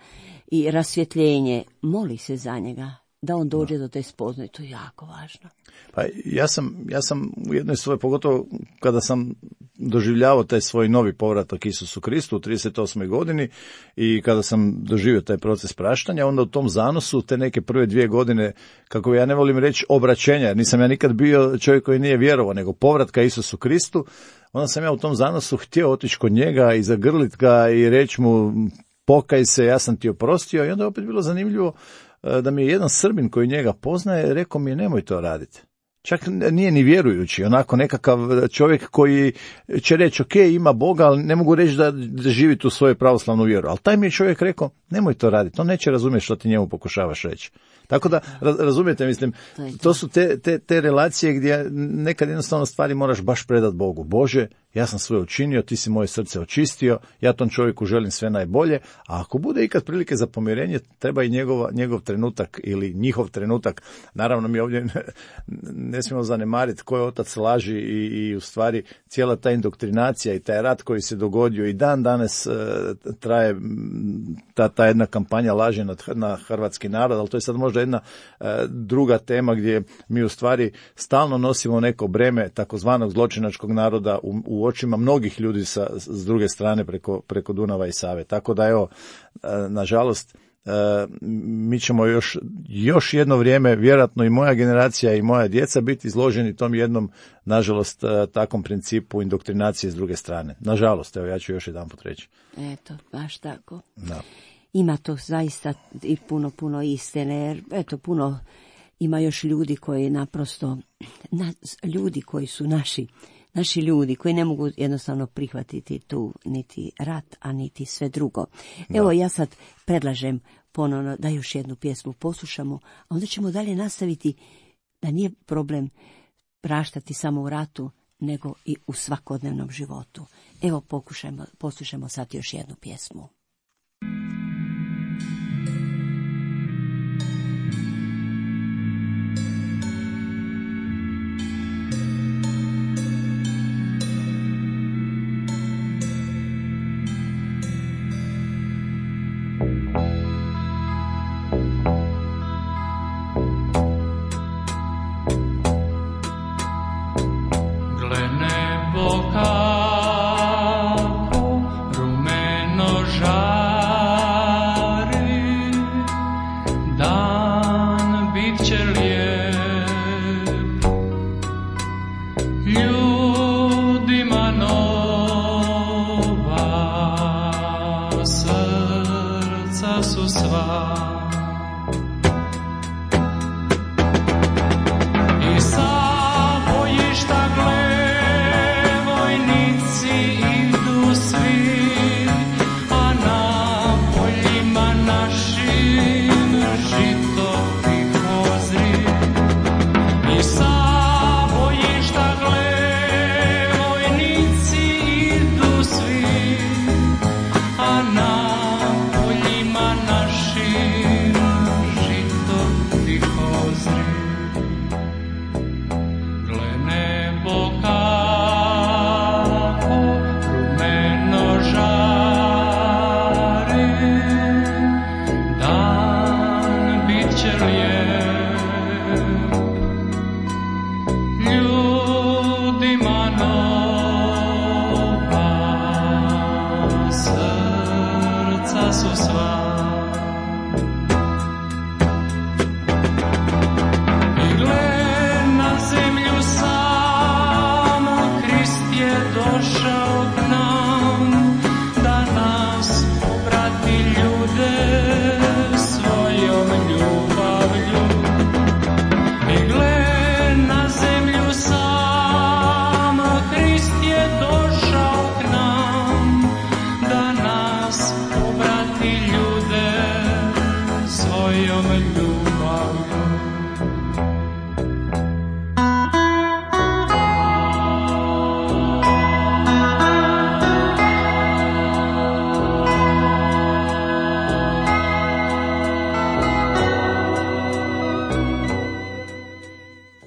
i rasvjetljenje, moli se za njega, da on dođe do te spoznaje, to je jako važno. Pa ja sam u jednoj svojoj, pogotovo kada sam doživljavao taj svoj novi povratak Isusu Kristu u 38. godini i kada sam doživio taj proces praštanja, onda u tom zanosu te neke prve 2 godine, kako ja ne volim reći obraćenja, jer nisam ja nikad bio čovjek koji nije vjerovao, nego povratka Isusu Kristu, onda sam ja u tom zanosu htio otići kod njega i zagrlit ga i reći mu pokaj se, ja sam ti oprostio, i onda je opet bilo zanimljivo da mi je jedan Srbin koji njega poznaje rekao mi je nemoj to raditi. Čak nije ni vjerujući, onako nekakav čovjek koji će reći ok, ima Boga, ali ne mogu reći da živi tu svoju pravoslavnu vjeru. Ali taj mi je čovjek rekao nemoj to raditi, on neće razumjeti što ti njemu pokušavaš reći. Tako da, razumijete, mislim, to su te relacije gdje nekad jednostavno stvari moraš baš predati Bogu. Bože, ja sam sve učinio, ti si moje srce očistio, ja tom čovjeku želim sve najbolje, a ako bude ikad prilike za pomirenje, treba i njegov trenutak ili njihov trenutak. Naravno, mi ovdje ne smijemo zanemariti ko je otac laži i u stvari cijela ta indoktrinacija i taj rat koji se dogodio i dan danas traje ta jedna kampanja laži na hrvatski narod, ali to je sad možda jedna druga tema gdje mi u stvari stalno nosimo neko breme takozvanog zločinačkog naroda u očima mnogih ljudi s druge strane preko Dunava i Save. Tako da evo, nažalost, mi ćemo još jedno vrijeme, vjerojatno i moja generacija i moja djeca, biti izloženi tom jednom, nažalost, takvom principu indoktrinacije s druge strane. Nažalost, evo, ja ću još jedanput reći. Eto, baš tako. Da. Ima to zaista i puno istine, jer eto, puno ima još ljudi koji naprosto, ljudi koji su naši ljudi, koji ne mogu jednostavno prihvatiti tu niti rat, a niti sve drugo. Evo, ja sad predlažem ponovno da još jednu pjesmu poslušamo, a onda ćemo dalje nastaviti da nije problem praštati samo u ratu, nego i u svakodnevnom životu. Evo, poslušajmo sad još jednu pjesmu.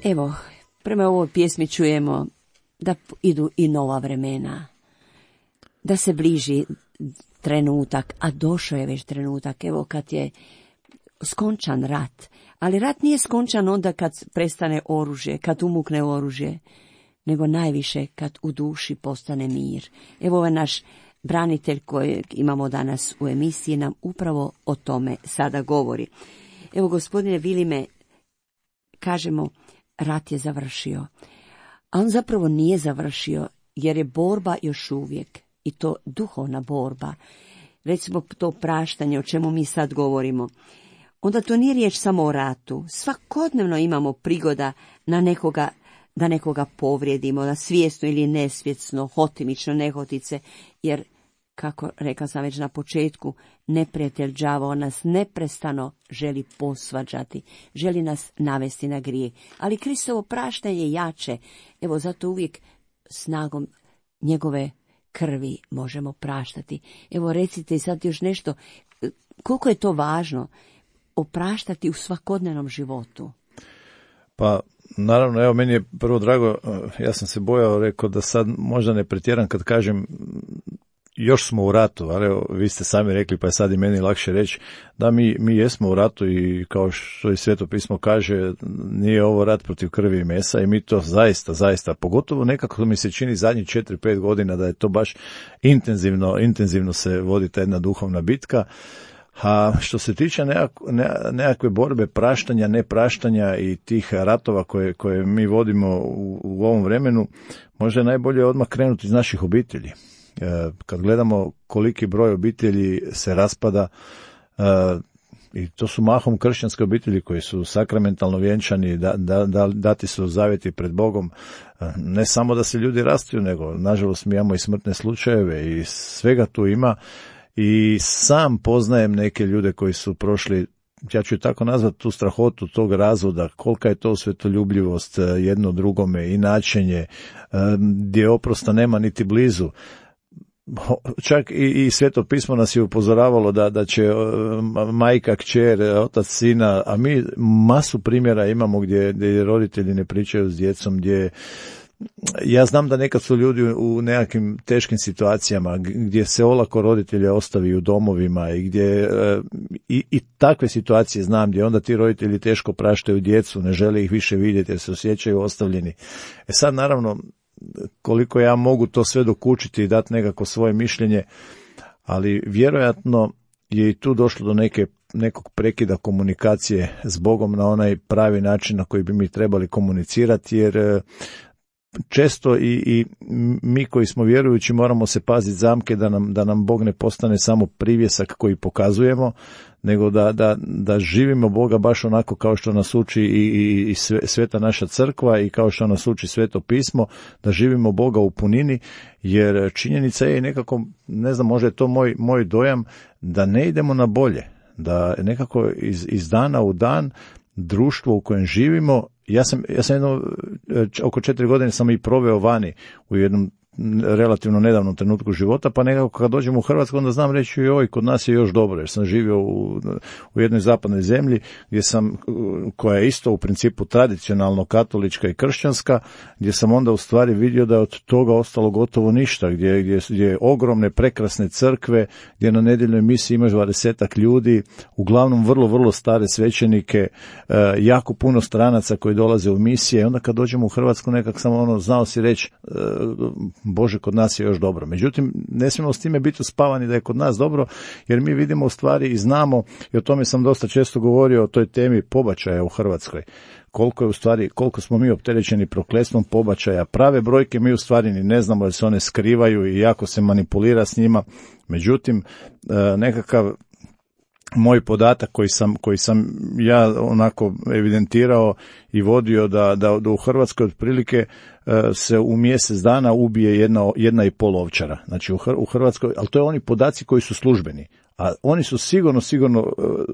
Evo, prema ovoj pjesmi čujemo da idu i nova vremena, da se bliži trenutak, a došao je već trenutak, evo kad je skončan rat, ali rat nije skončan onda kad prestane oružje, kad umukne oružje, nego najviše kad u duši postane mir. Evo ovaj naš branitelj kojeg imamo danas u emisiji nam upravo o tome sada govori. Evo, gospodine Vilime, kažemo, rat je završio, a on zapravo nije završio, jer je borba još uvijek, i to duhovna borba. Recimo to praštanje, o čemu mi sad govorimo, onda to nije riječ samo o ratu. Svakodnevno imamo prigoda da nekoga povrijedimo, na svjesno ili nesvjesno, hotimično, nehotice, jer, kako rekla sam već na početku, neprijatelj đavao nas neprestano želi posvađati, želi nas navesti na grijeh. Ali Kristovo praštanje je jače, evo zato uvijek snagom njegove krvi možemo praštati. Evo recite sad još nešto, koliko je to važno opraštati u svakodnevnom životu? Pa naravno, evo meni je prvo drago, ja sam se bojao, rekao da sad možda ne pretjeram kad kažem još smo u ratu, ali evo, vi ste sami rekli pa je sad i meni lakše reći da mi jesmo u ratu i kao što i Sveto pismo kaže, nije ovo rat protiv krvi i mesa i mi to zaista, pogotovo nekako mi se čini zadnjih 4-5 godina da je to baš intenzivno se vodi ta jedna duhovna bitka. A što se tiče nekakve borbe praštanja, nepraštanja i tih ratova koje mi vodimo u ovom vremenu, možda je najbolje odmah krenuti iz naših obitelji. Kad gledamo koliki broj obitelji se raspada, i to su mahom kršćanske obitelji koji su sakramentalno vjenčani, dati su zavjeti pred Bogom, ne samo da se ljudi rastaju, nego nažalost mi imamo i smrtne slučajeve i svega tu ima. I sam poznajem neke ljude koji su prošli, ja ću tako nazvati, tu strahotu tog razvoda, kolika je to svetoljubljivost jedno drugome i načenje, gdje oprosta nema niti blizu. Čak i Sveto pismo nas je upozoravalo da će majka, kćer, otac, sina, a mi masu primjera imamo gdje roditelji ne pričaju s djecom, gdje ja znam da nekad su ljudi u nekakvim teškim situacijama gdje se olako roditelje ostavi u domovima i gdje i takve situacije znam gdje onda ti roditelji teško praštaju djecu, ne žele ih više vidjeti jer se osjećaju ostavljeni. Sad naravno koliko ja mogu to sve dokučiti i dati nekako svoje mišljenje, ali vjerojatno je i tu došlo do nekog prekida komunikacije s Bogom na onaj pravi način na koji bi mi trebali komunicirati, jer često i mi koji smo vjerujući moramo se paziti zamke da nam Bog ne postane samo privjesak koji pokazujemo, nego da živimo Boga baš onako kao što nas uči i sveta naša crkva i kao što nas uči Sveto pismo, da živimo Boga u punini, jer činjenica je nekako, ne znam, možda je to moj dojam, da ne idemo na bolje, da nekako iz dana u dan društvo u kojem živimo, ja sam oko 4 godine sam i proveo vani u jednom relativno nedavnom trenutku života, pa nekako kad dođem u Hrvatsku onda znam reći joj, kod nas je još dobro, jer sam živio u jednoj zapadnoj zemlji koja je isto u principu tradicionalno katolička i kršćanska, gdje sam onda u stvari vidio da je od toga ostalo gotovo ništa, gdje ogromne prekrasne crkve, gdje na nedjeljnoj misiji imaš 20 ljudi, uglavnom vrlo, vrlo stare svećenike, jako puno stranaca koji dolaze u misije, onda kad dođemo u Hrvatsku nekak sam znao si reći Bože, kod nas je još dobro. Međutim, ne smijemo s time biti uspavani da je kod nas dobro, jer mi vidimo u stvari i znamo, i o tome sam dosta često govorio, o toj temi pobačaja u Hrvatskoj. Koliko smo mi opterećeni prokletstvom pobačaja. Prave brojke mi u stvari ni ne znamo, jer se one skrivaju i jako se manipulira s njima. Međutim, nekakav moj podatak koji sam ja onako evidentirao i vodio da u Hrvatskoj otprilike se u mjesec dana ubije jedna i pol ovčara. Znači u Hrvatskoj, ali to je oni podaci koji su službeni, a oni su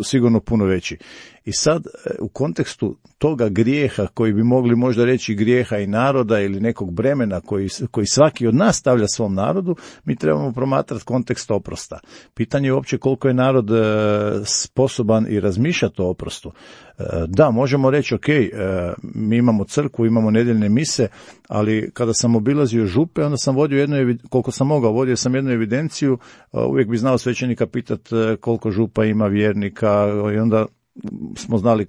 sigurno puno veći. I sad u kontekstu toga grijeha koji bi mogli možda reći grijeha i naroda ili nekog bremena koji svaki od nas stavlja svom narodu, mi trebamo promatrati kontekst oprosta. Pitanje je uopće koliko je narod sposoban i razmišljati o oprostu. Da, možemo reći ok, mi imamo crkvu, imamo nedjeljne mise, ali kada sam obilazio župe, onda sam vodio koliko sam mogao, vodio sam jednu evidenciju, uvijek bi znao svećenika pitati koliko župa ima vjernika i onda smo znali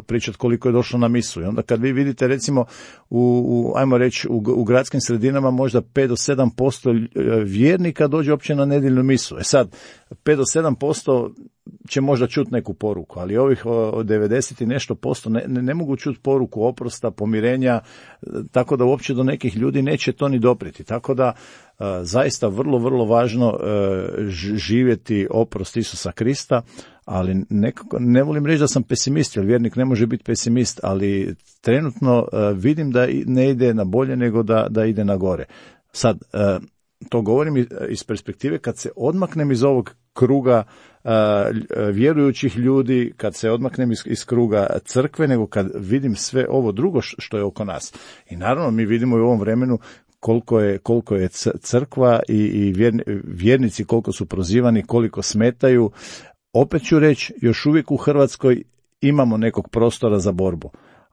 pričati koliko je došlo na misu. I onda kad vi vidite recimo ajmo reći u gradskim sredinama možda 5 do 7% vjernika dođe uopće na nedjeljnu misu. Sad 5 do 7% će možda čuti neku poruku, ali ovih 90 i nešto posto ne mogu čuti poruku oprosta, pomirenja, tako da uopće do nekih ljudi neće to ni doprijeti. Tako da zaista vrlo, vrlo važno živjeti oprost Isusa Krista, ali ne volim reći da sam pesimist, jer vjernik ne može biti pesimist, ali trenutno vidim da ne ide na bolje nego da ide na gore. Sad, to govorim iz perspektive kad se odmaknem iz ovog kruga vjerujućih ljudi, kad se odmaknem iz kruga crkve, nego kad vidim sve ovo drugo što je oko nas. I naravno mi vidimo i u ovom vremenu koliko je crkva i vjernici koliko su prozivani, koliko smetaju. Opet ću reći, još uvijek u Hrvatskoj imamo nekog prostora za borbu,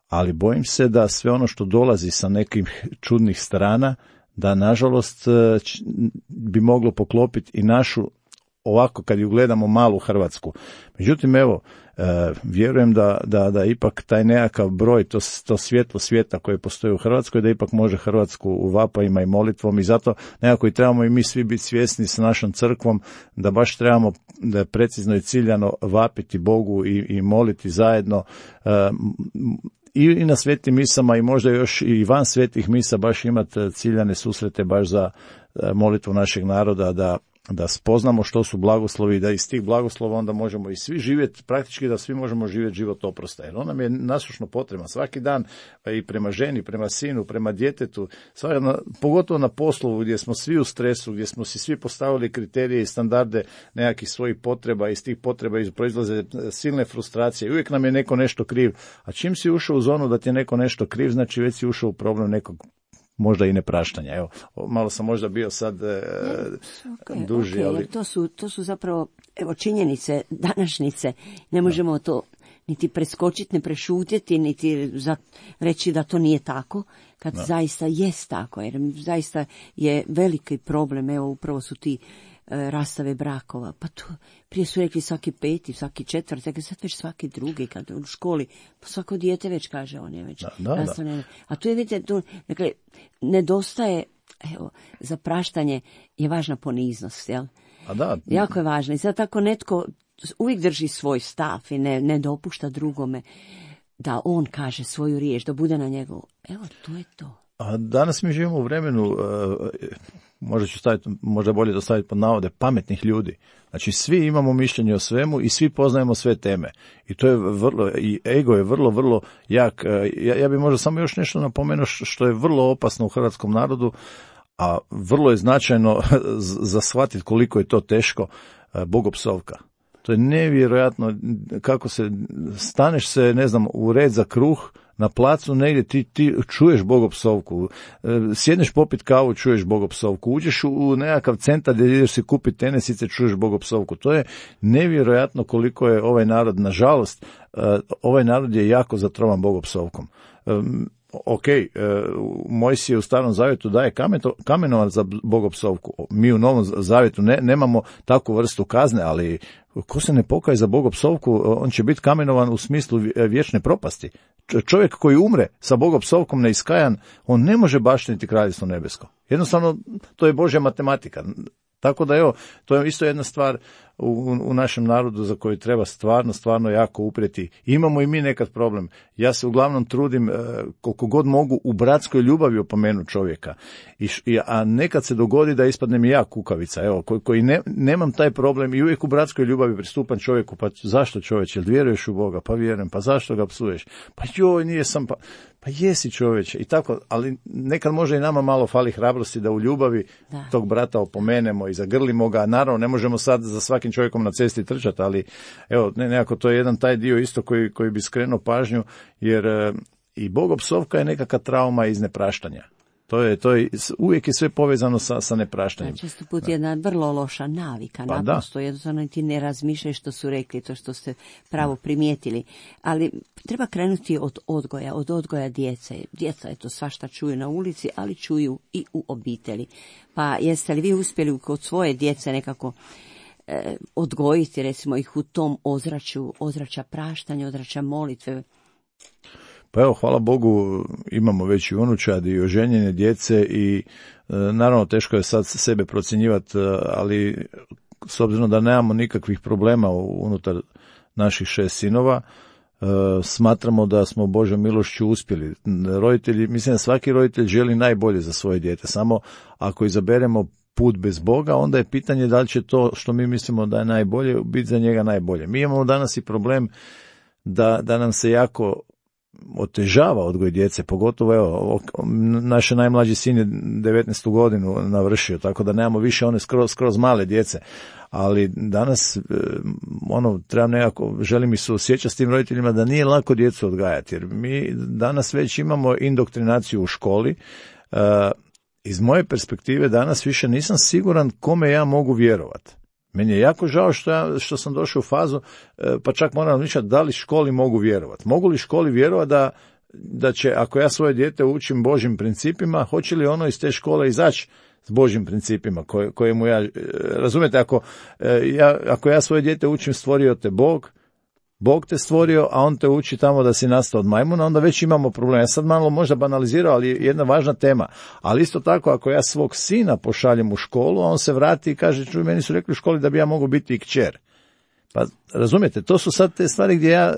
ali bojim se da sve ono što dolazi sa nekim čudnih strana, da nažalost bi moglo poklopiti i našu, ovako kad ju gledamo, malu Hrvatsku. Međutim, evo, vjerujem da ipak taj nekakav broj, to svjetlo svijeta koje postoji u Hrvatskoj, da ipak može Hrvatsku u vapajima i molitvom, i zato nekako i trebamo i mi svi biti svjesni s našom crkvom da baš trebamo da precizno i ciljano vapiti Bogu i moliti zajedno, i na svetim misama i možda još i van svetih misa baš imati ciljane susrete baš za molitvu našeg naroda, da spoznamo što su blagoslovi i da iz tih blagoslova onda možemo i svi živjeti, praktički da svi možemo živjeti život oprosta. Jer on nam je nasušno potreban svaki dan, i prema ženi, prema sinu, prema djetetu, pogotovo na poslu gdje smo svi u stresu, gdje smo si svi postavili kriterije i standarde nekakvih svojih potreba, iz tih potreba proizlaze silne frustracije. Uvijek nam je neko nešto kriv, a čim si ušao u zonu da ti je neko nešto kriv, znači već si ušao u problem nekog možda i nepraštanja. Evo, malo sam možda bio sad duži, ali... To su zapravo, evo, činjenice, današnjice. Ne možemo to niti preskočiti, ne prešutjeti, niti reći da to nije tako, kad zaista jest tako, jer zaista je veliki problem. Evo, upravo su ti rastave brakova. Pa to, prije su rekli svaki peti, svaki četvrti, sad već svaki drugi, kad u školi, pa svako dijete već kaže, on je već rastavljeno. A tu je, vidite, dakle, nedostaje, evo, za praštanje je važna poniznost, jel? Jako je važno. I sad tako netko uvijek drži svoj stav i ne dopušta drugome da on kaže svoju riječ, da bude na njegovu. Evo, to je to. A danas mi živimo u vremenu, možda bolje to staviti pod navode, pametnih ljudi. Znači, svi imamo mišljenje o svemu i svi poznajemo sve teme. I to je i ego je vrlo, vrlo jak. Ja bih možda samo još nešto napomenuo što je vrlo opasno u hrvatskom narodu, a vrlo je značajno za shvatiti koliko je to teško, bogopsovka. To je nevjerojatno kako staneš se, ne znam, u red za kruh, na placu negdje ti čuješ bogopsovku, sjedneš popit kavu, čuješ bogopsovku, uđeš u nekakav centar gdje ideš si kupiti tenisice, čuješ bogopsovku. To je nevjerojatno koliko je ovaj narod, nažalost, ovaj narod je jako zatrovan bogopsovkom. Ok, Mojsije u Starom Zavjetu daje kamenovac za bogopsovku. Mi u Novom Zavjetu nemamo takvu vrstu kazne, ali ko se ne pokaje za bogopsovku, on će biti kamenovan u smislu vječne propasti. Čovjek koji umre sa bogopsovkom neiskajan, on ne može baštiniti kraljevstvo nebesko. Jednostavno, to je Božja matematika. Tako da, evo, to je isto jedna stvar u našem narodu za koju treba stvarno jako uprijeti. Imamo i mi nekad problem. Ja se uglavnom trudim koliko god mogu u bratskoj ljubavi opomenuti čovjeka. A nekad se dogodi da ispadnem i ja kukavica, evo, koji nemam taj problem i uvijek u bratskoj ljubavi pristupam čovjeku, pa zašto čovječe, jel vjeruješ u Boga? Pa vjerujem, pa zašto ga psuješ? Pa joj, nije sam, pa jesi čovječe. I tako, ali nekad može i nama malo fali hrabrosti da u ljubavi tog brata opomenemo i zagrlimo ga. Naravno, ne možemo sad za svakim čovjekom na cesti trčati, ali evo, nekako to je jedan taj dio isto koji bi skrenuo pažnju, jer i bogopsovka je nekakva trauma iz nepraštanja. To je uvijek je sve povezano sa nepraštanjem. Često put jedna vrlo loša navika, naprosto, jednostavno ti ne razmišljaj što su rekli, to što ste pravo primijetili. Ali treba krenuti od odgoja djece. Djeca je to svašta čuju na ulici, ali čuju i u obitelji. Pa jeste li vi uspjeli kod svoje djece nekako odgojiti, recimo, ih u tom ozračja praštanja, ozračja molitve? Pa evo, hvala Bogu, imamo već i unučad i oženjene djece i naravno teško je sad sebe procjenjivati, ali s obzirom da nemamo nikakvih problema unutar naših 6 sinova, smatramo da smo Božjom milošću uspjeli. Roditelji, mislim da svaki roditelj želi najbolje za svoje dijete, samo ako izaberemo put bez Boga, onda je pitanje da li će to što mi mislimo da je najbolje biti za njega najbolje. Mi imamo danas i problem da nam se jako otežava odgoj djece, pogotovo evo, naš najmlađi sin je 19. godinu navršio, tako da nemamo više one skroz male djece, ali danas trebam nekako, želim i suosjećati s tim roditeljima da nije lako djecu odgajati, jer mi danas već imamo indoktrinaciju u školi, iz moje perspektive danas više nisam siguran kome ja mogu vjerovati. Meni je jako žao što sam došao u fazu, pa čak moram razmišljati da li školi mogu vjerovati. Mogu li školi vjerovati da će, ako ja svoje dijete učim Božjim principima, hoće li ono iz te škole izaći s Božjim principima kojemu ja, razumijete, ako ja svoje dijete učim stvorio te Bog te stvorio, a on te uči tamo da si nastao od majmuna, onda već imamo problem. Ja sad malo možda banalizirao, ali je jedna važna tema. Ali isto tako, ako ja svog sina pošaljem u školu, a on se vrati i kaže, čuj, meni su rekli u školi da bi ja mogao biti i kćer. Pa razumijete, to su sad te stvari gdje ja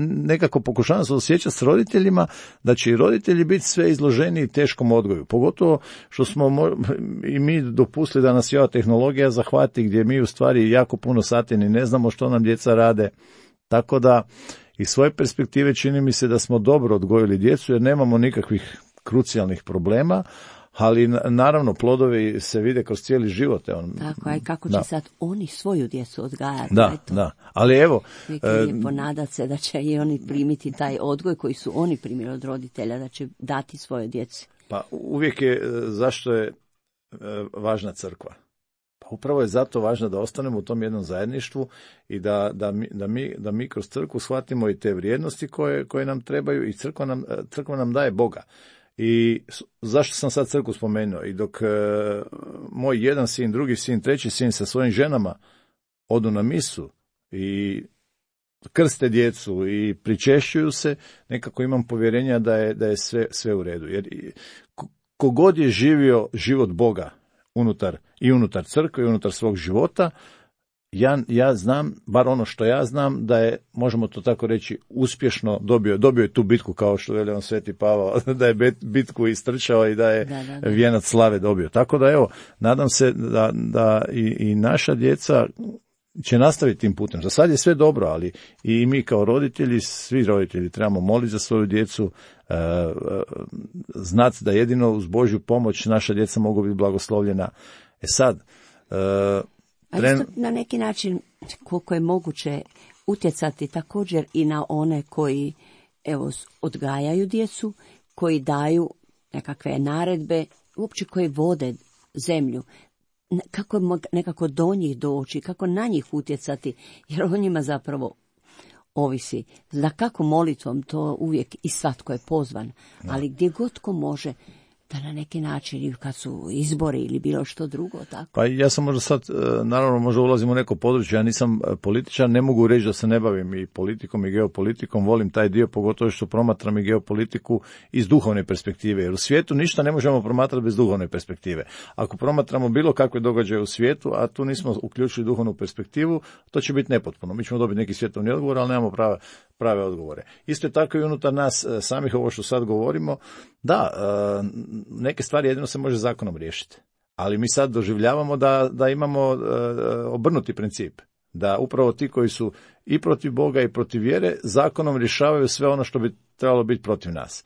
nekako pokušavam se osjećati s roditeljima, da će i roditelji biti sve izloženi teškom odgoju. Pogotovo što smo i mi dopustili da nas ova tehnologija zahvati, gdje mi u stvari jako puno sati ni ne znamo što nam djeca rade. Tako da, iz svoje perspektive čini mi se da smo dobro odgojili djecu, jer nemamo nikakvih krucijalnih problema, ali naravno plodovi se vide kroz cijeli život. Tako, a kako će sad oni svoju djecu odgajati? Da, ali evo... Lijepo nadat se da će i oni primiti taj odgoj koji su oni primili od roditelja, da će dati svoje djeci. Pa uvijek je, zašto je važna crkva? Pa upravo je zato važno da ostanemo u tom jednom zajedništvu i da mi kroz crkvu shvatimo i te vrijednosti koje nam trebaju, i crkva nam daje Boga. I zašto sam sad crkvu spomenuo? I dok moj jedan sin, drugi sin, treći sin sa svojim ženama odu na misu i krste djecu i pričešćuju se, nekako imam povjerenja da je sve u redu. Jer kogod je živio život Boga unutar crkve i unutar svog života, ja znam, bar ono što ja znam, da je, možemo to tako reći, uspješno dobio je tu bitku, kao što veli on Sveti Pavao, da je bitku istrčao i da je vijenac slave dobio. Tako da evo, nadam se da i naša djeca će nastaviti tim putem. Za sad je sve dobro, ali i mi kao roditelji, svi roditelji trebamo moliti za svoju djecu, znati da jedino uz Božju pomoć naša djeca mogu biti blagoslovljena. Sad, a isto na neki način, koliko je moguće, utjecati također i na one koji odgajaju djecu, koji daju nekakve naredbe, uopće koji vode zemlju. Kako nekako do njih doći, kako na njih utjecati, jer o njima zapravo ovisi. Za kako molitvom, to uvijek i svatko je pozvan, ali gdje god tko može, da na neki način, kad su izbori ili bilo što drugo, tako. Pa ja sam možda sad, naravno možda ulazim u neko područje, ja nisam političar, ne mogu reći da se ne bavim i politikom i geopolitikom, volim taj dio, pogotovo što promatram i geopolitiku iz duhovne perspektive, jer u svijetu ništa ne možemo promatrati bez duhovne perspektive. Ako promatramo bilo kakve događaje u svijetu, a tu nismo uključili duhovnu perspektivu, to će biti nepotpuno. Mi ćemo dobiti neki svjetovni odgovor, ali nemamo prave odgovore. Isto je tako i unutar nas samih, ovo što sad govorimo, da, neke stvari jedino se može zakonom riješiti. Ali mi sad doživljavamo da imamo obrnuti princip. Da upravo ti koji su i protiv Boga i protiv vjere zakonom rješavaju sve ono što bi trebalo biti protiv nas.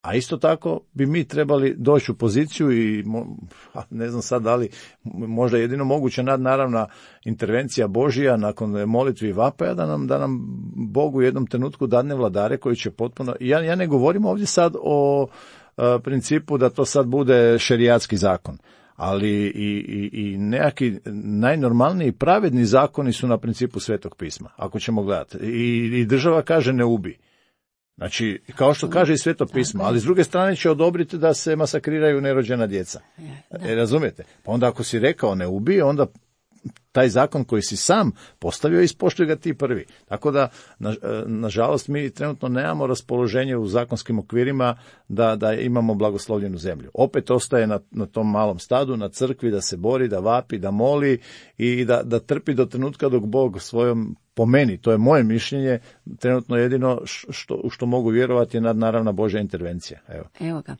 A isto tako bi mi trebali doći u poziciju i ne znam sad da li možda jedino moguća nadnaravna intervencija Božija nakon molitvi i vapaja da nam Bog u jednom trenutku dadne vladare koji će potpuno... Ja ne govorim ovdje sad o principu da to sad bude šerijatski zakon, ali i nekakvi najnormalniji pravedni zakoni su na principu Svetog pisma, ako ćemo gledati. I država kaže ne ubi. Znači, kao što kaže i Sveto pismo, ali s druge strane će odobriti da se masakriraju nerođena djeca. Razumijete? Pa onda ako si rekao ne ubije, onda taj zakon koji si sam postavio, ispoštuj ga ti prvi. Tako da, nažalost, mi trenutno nemamo raspoloženje u zakonskim okvirima da imamo blagoslovljenu zemlju. Opet ostaje na tom malom stadu, na crkvi, da se bori, da vapi, da moli i da trpi do trenutka dok Bog svojom, po meni, to je moje mišljenje, trenutno jedino što mogu vjerovati je nadnaravna Božja intervencija. Evo ga.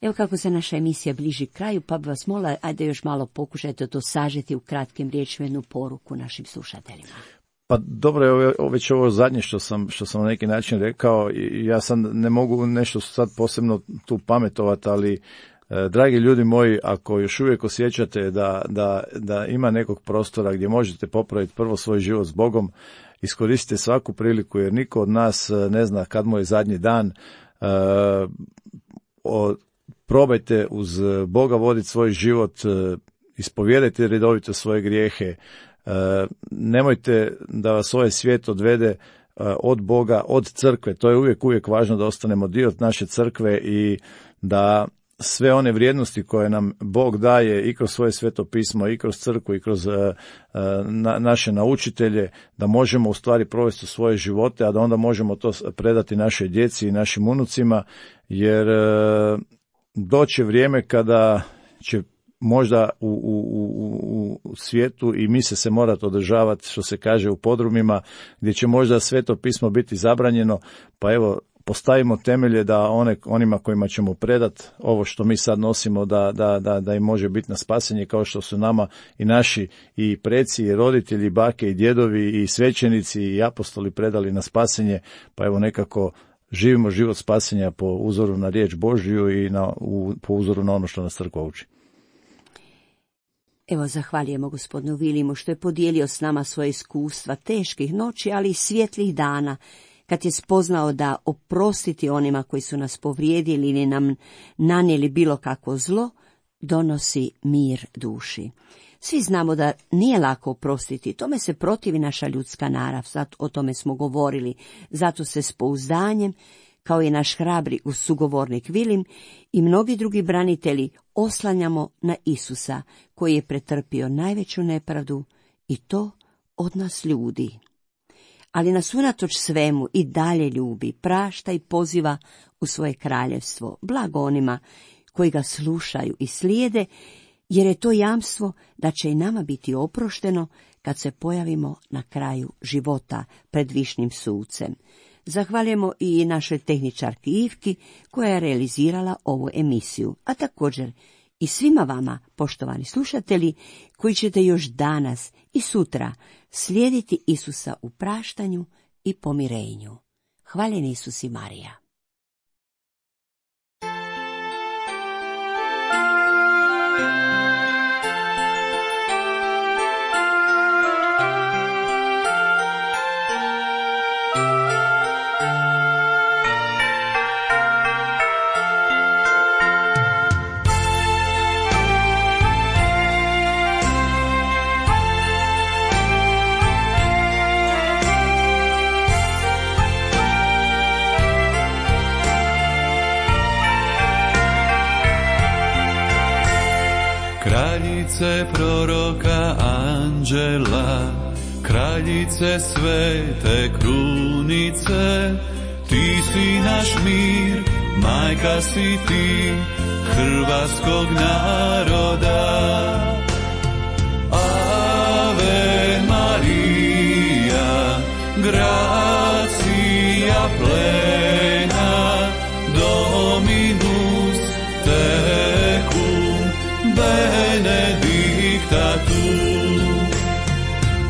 Evo kako se naša emisija bliži kraju, pa bi vas molila, ajde još malo pokušajte to sažeti u kratkim riječima, jednu poruku našim slušateljima. Pa dobro, već ovo zadnje što sam na neki način rekao, ja sad ne mogu nešto sad posebno tu pametovati, ali dragi ljudi moji, ako još uvijek osjećate da ima nekog prostora gdje možete popraviti prvo svoj život s Bogom, iskoristite svaku priliku, jer niko od nas ne zna kad mu je zadnji dan. probajte uz Boga voditi svoj život, ispovijedajte redovito svoje grijehe, nemojte da vas ovaj svijet odvede od Boga, od crkve. To je uvijek važno da ostanemo dio naše crkve i da sve one vrijednosti koje nam Bog daje i kroz svoje sveto pismo, i kroz crkvu, i kroz naše naučitelje, da možemo u stvari provesti svoje živote, a da onda možemo to predati našoj djeci i našim unucima, jer doće vrijeme kada će možda u svijetu i mise se morati održavati, što se kaže, u podrumima, gdje će možda sveto pismo biti zabranjeno, pa evo, postavimo temelje da onima kojima ćemo predati ovo što mi sad nosimo, da im može biti na spasenje, kao što su nama i naši i preci, i roditelji, i bake, i djedovi, i svećenici, i apostoli predali na spasenje, pa evo nekako živimo život spasenja po uzoru na riječ Božju i po uzoru na ono što nas crkva uči. Evo, zahvaljujemo gospodinu Vilimu što je podijelio s nama svoje iskustva teških noći, ali i svjetlih dana, kad je spoznao da oprostiti onima koji su nas povrijedili ili nam nanijeli bilo kakvo zlo, donosi mir duši. Svi znamo da nije lako oprostiti, tome se protivi naša ljudska narav, sad o tome smo govorili, zato se s pouzdanjem, kao i naš hrabri sugovornik Vilim i mnogi drugi branitelji, oslanjamo na Isusa, koji je pretrpio najveću nepravdu i to od nas ljudi. Ali nas unatoč svemu i dalje ljubi, prašta i poziva u svoje kraljevstvo. Blago onima koji ga slušaju i slijede, jer je to jamstvo da će i nama biti oprošteno kad se pojavimo na kraju života pred višnim sucem. Zahvaljujemo i našoj tehničarki Ivki koja je realizirala ovu emisiju, a također i svima vama, poštovani slušatelji, koji ćete još danas i sutra slijediti Isusa u praštanju i pomirenju. Hvaljen Isus i Marija. Kraljice proroka anđela, kraljice svete krunice, ti si naš mir, majka si ti hrvatskog naroda. Ave Marija, gracia plena, Dominus tecum, benedicta tu.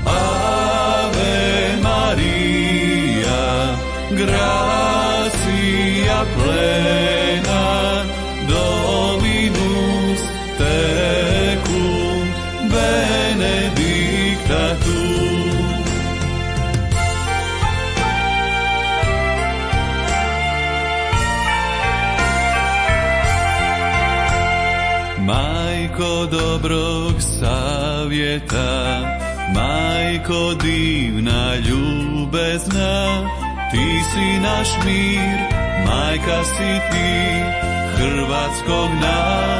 Ave Maria, gracia plena, Dominus tecum, benedicta tu. Majko dobrog savjeta, majko divna ljubezna, ti si naš mir, majka si ti hrvatskog naroda.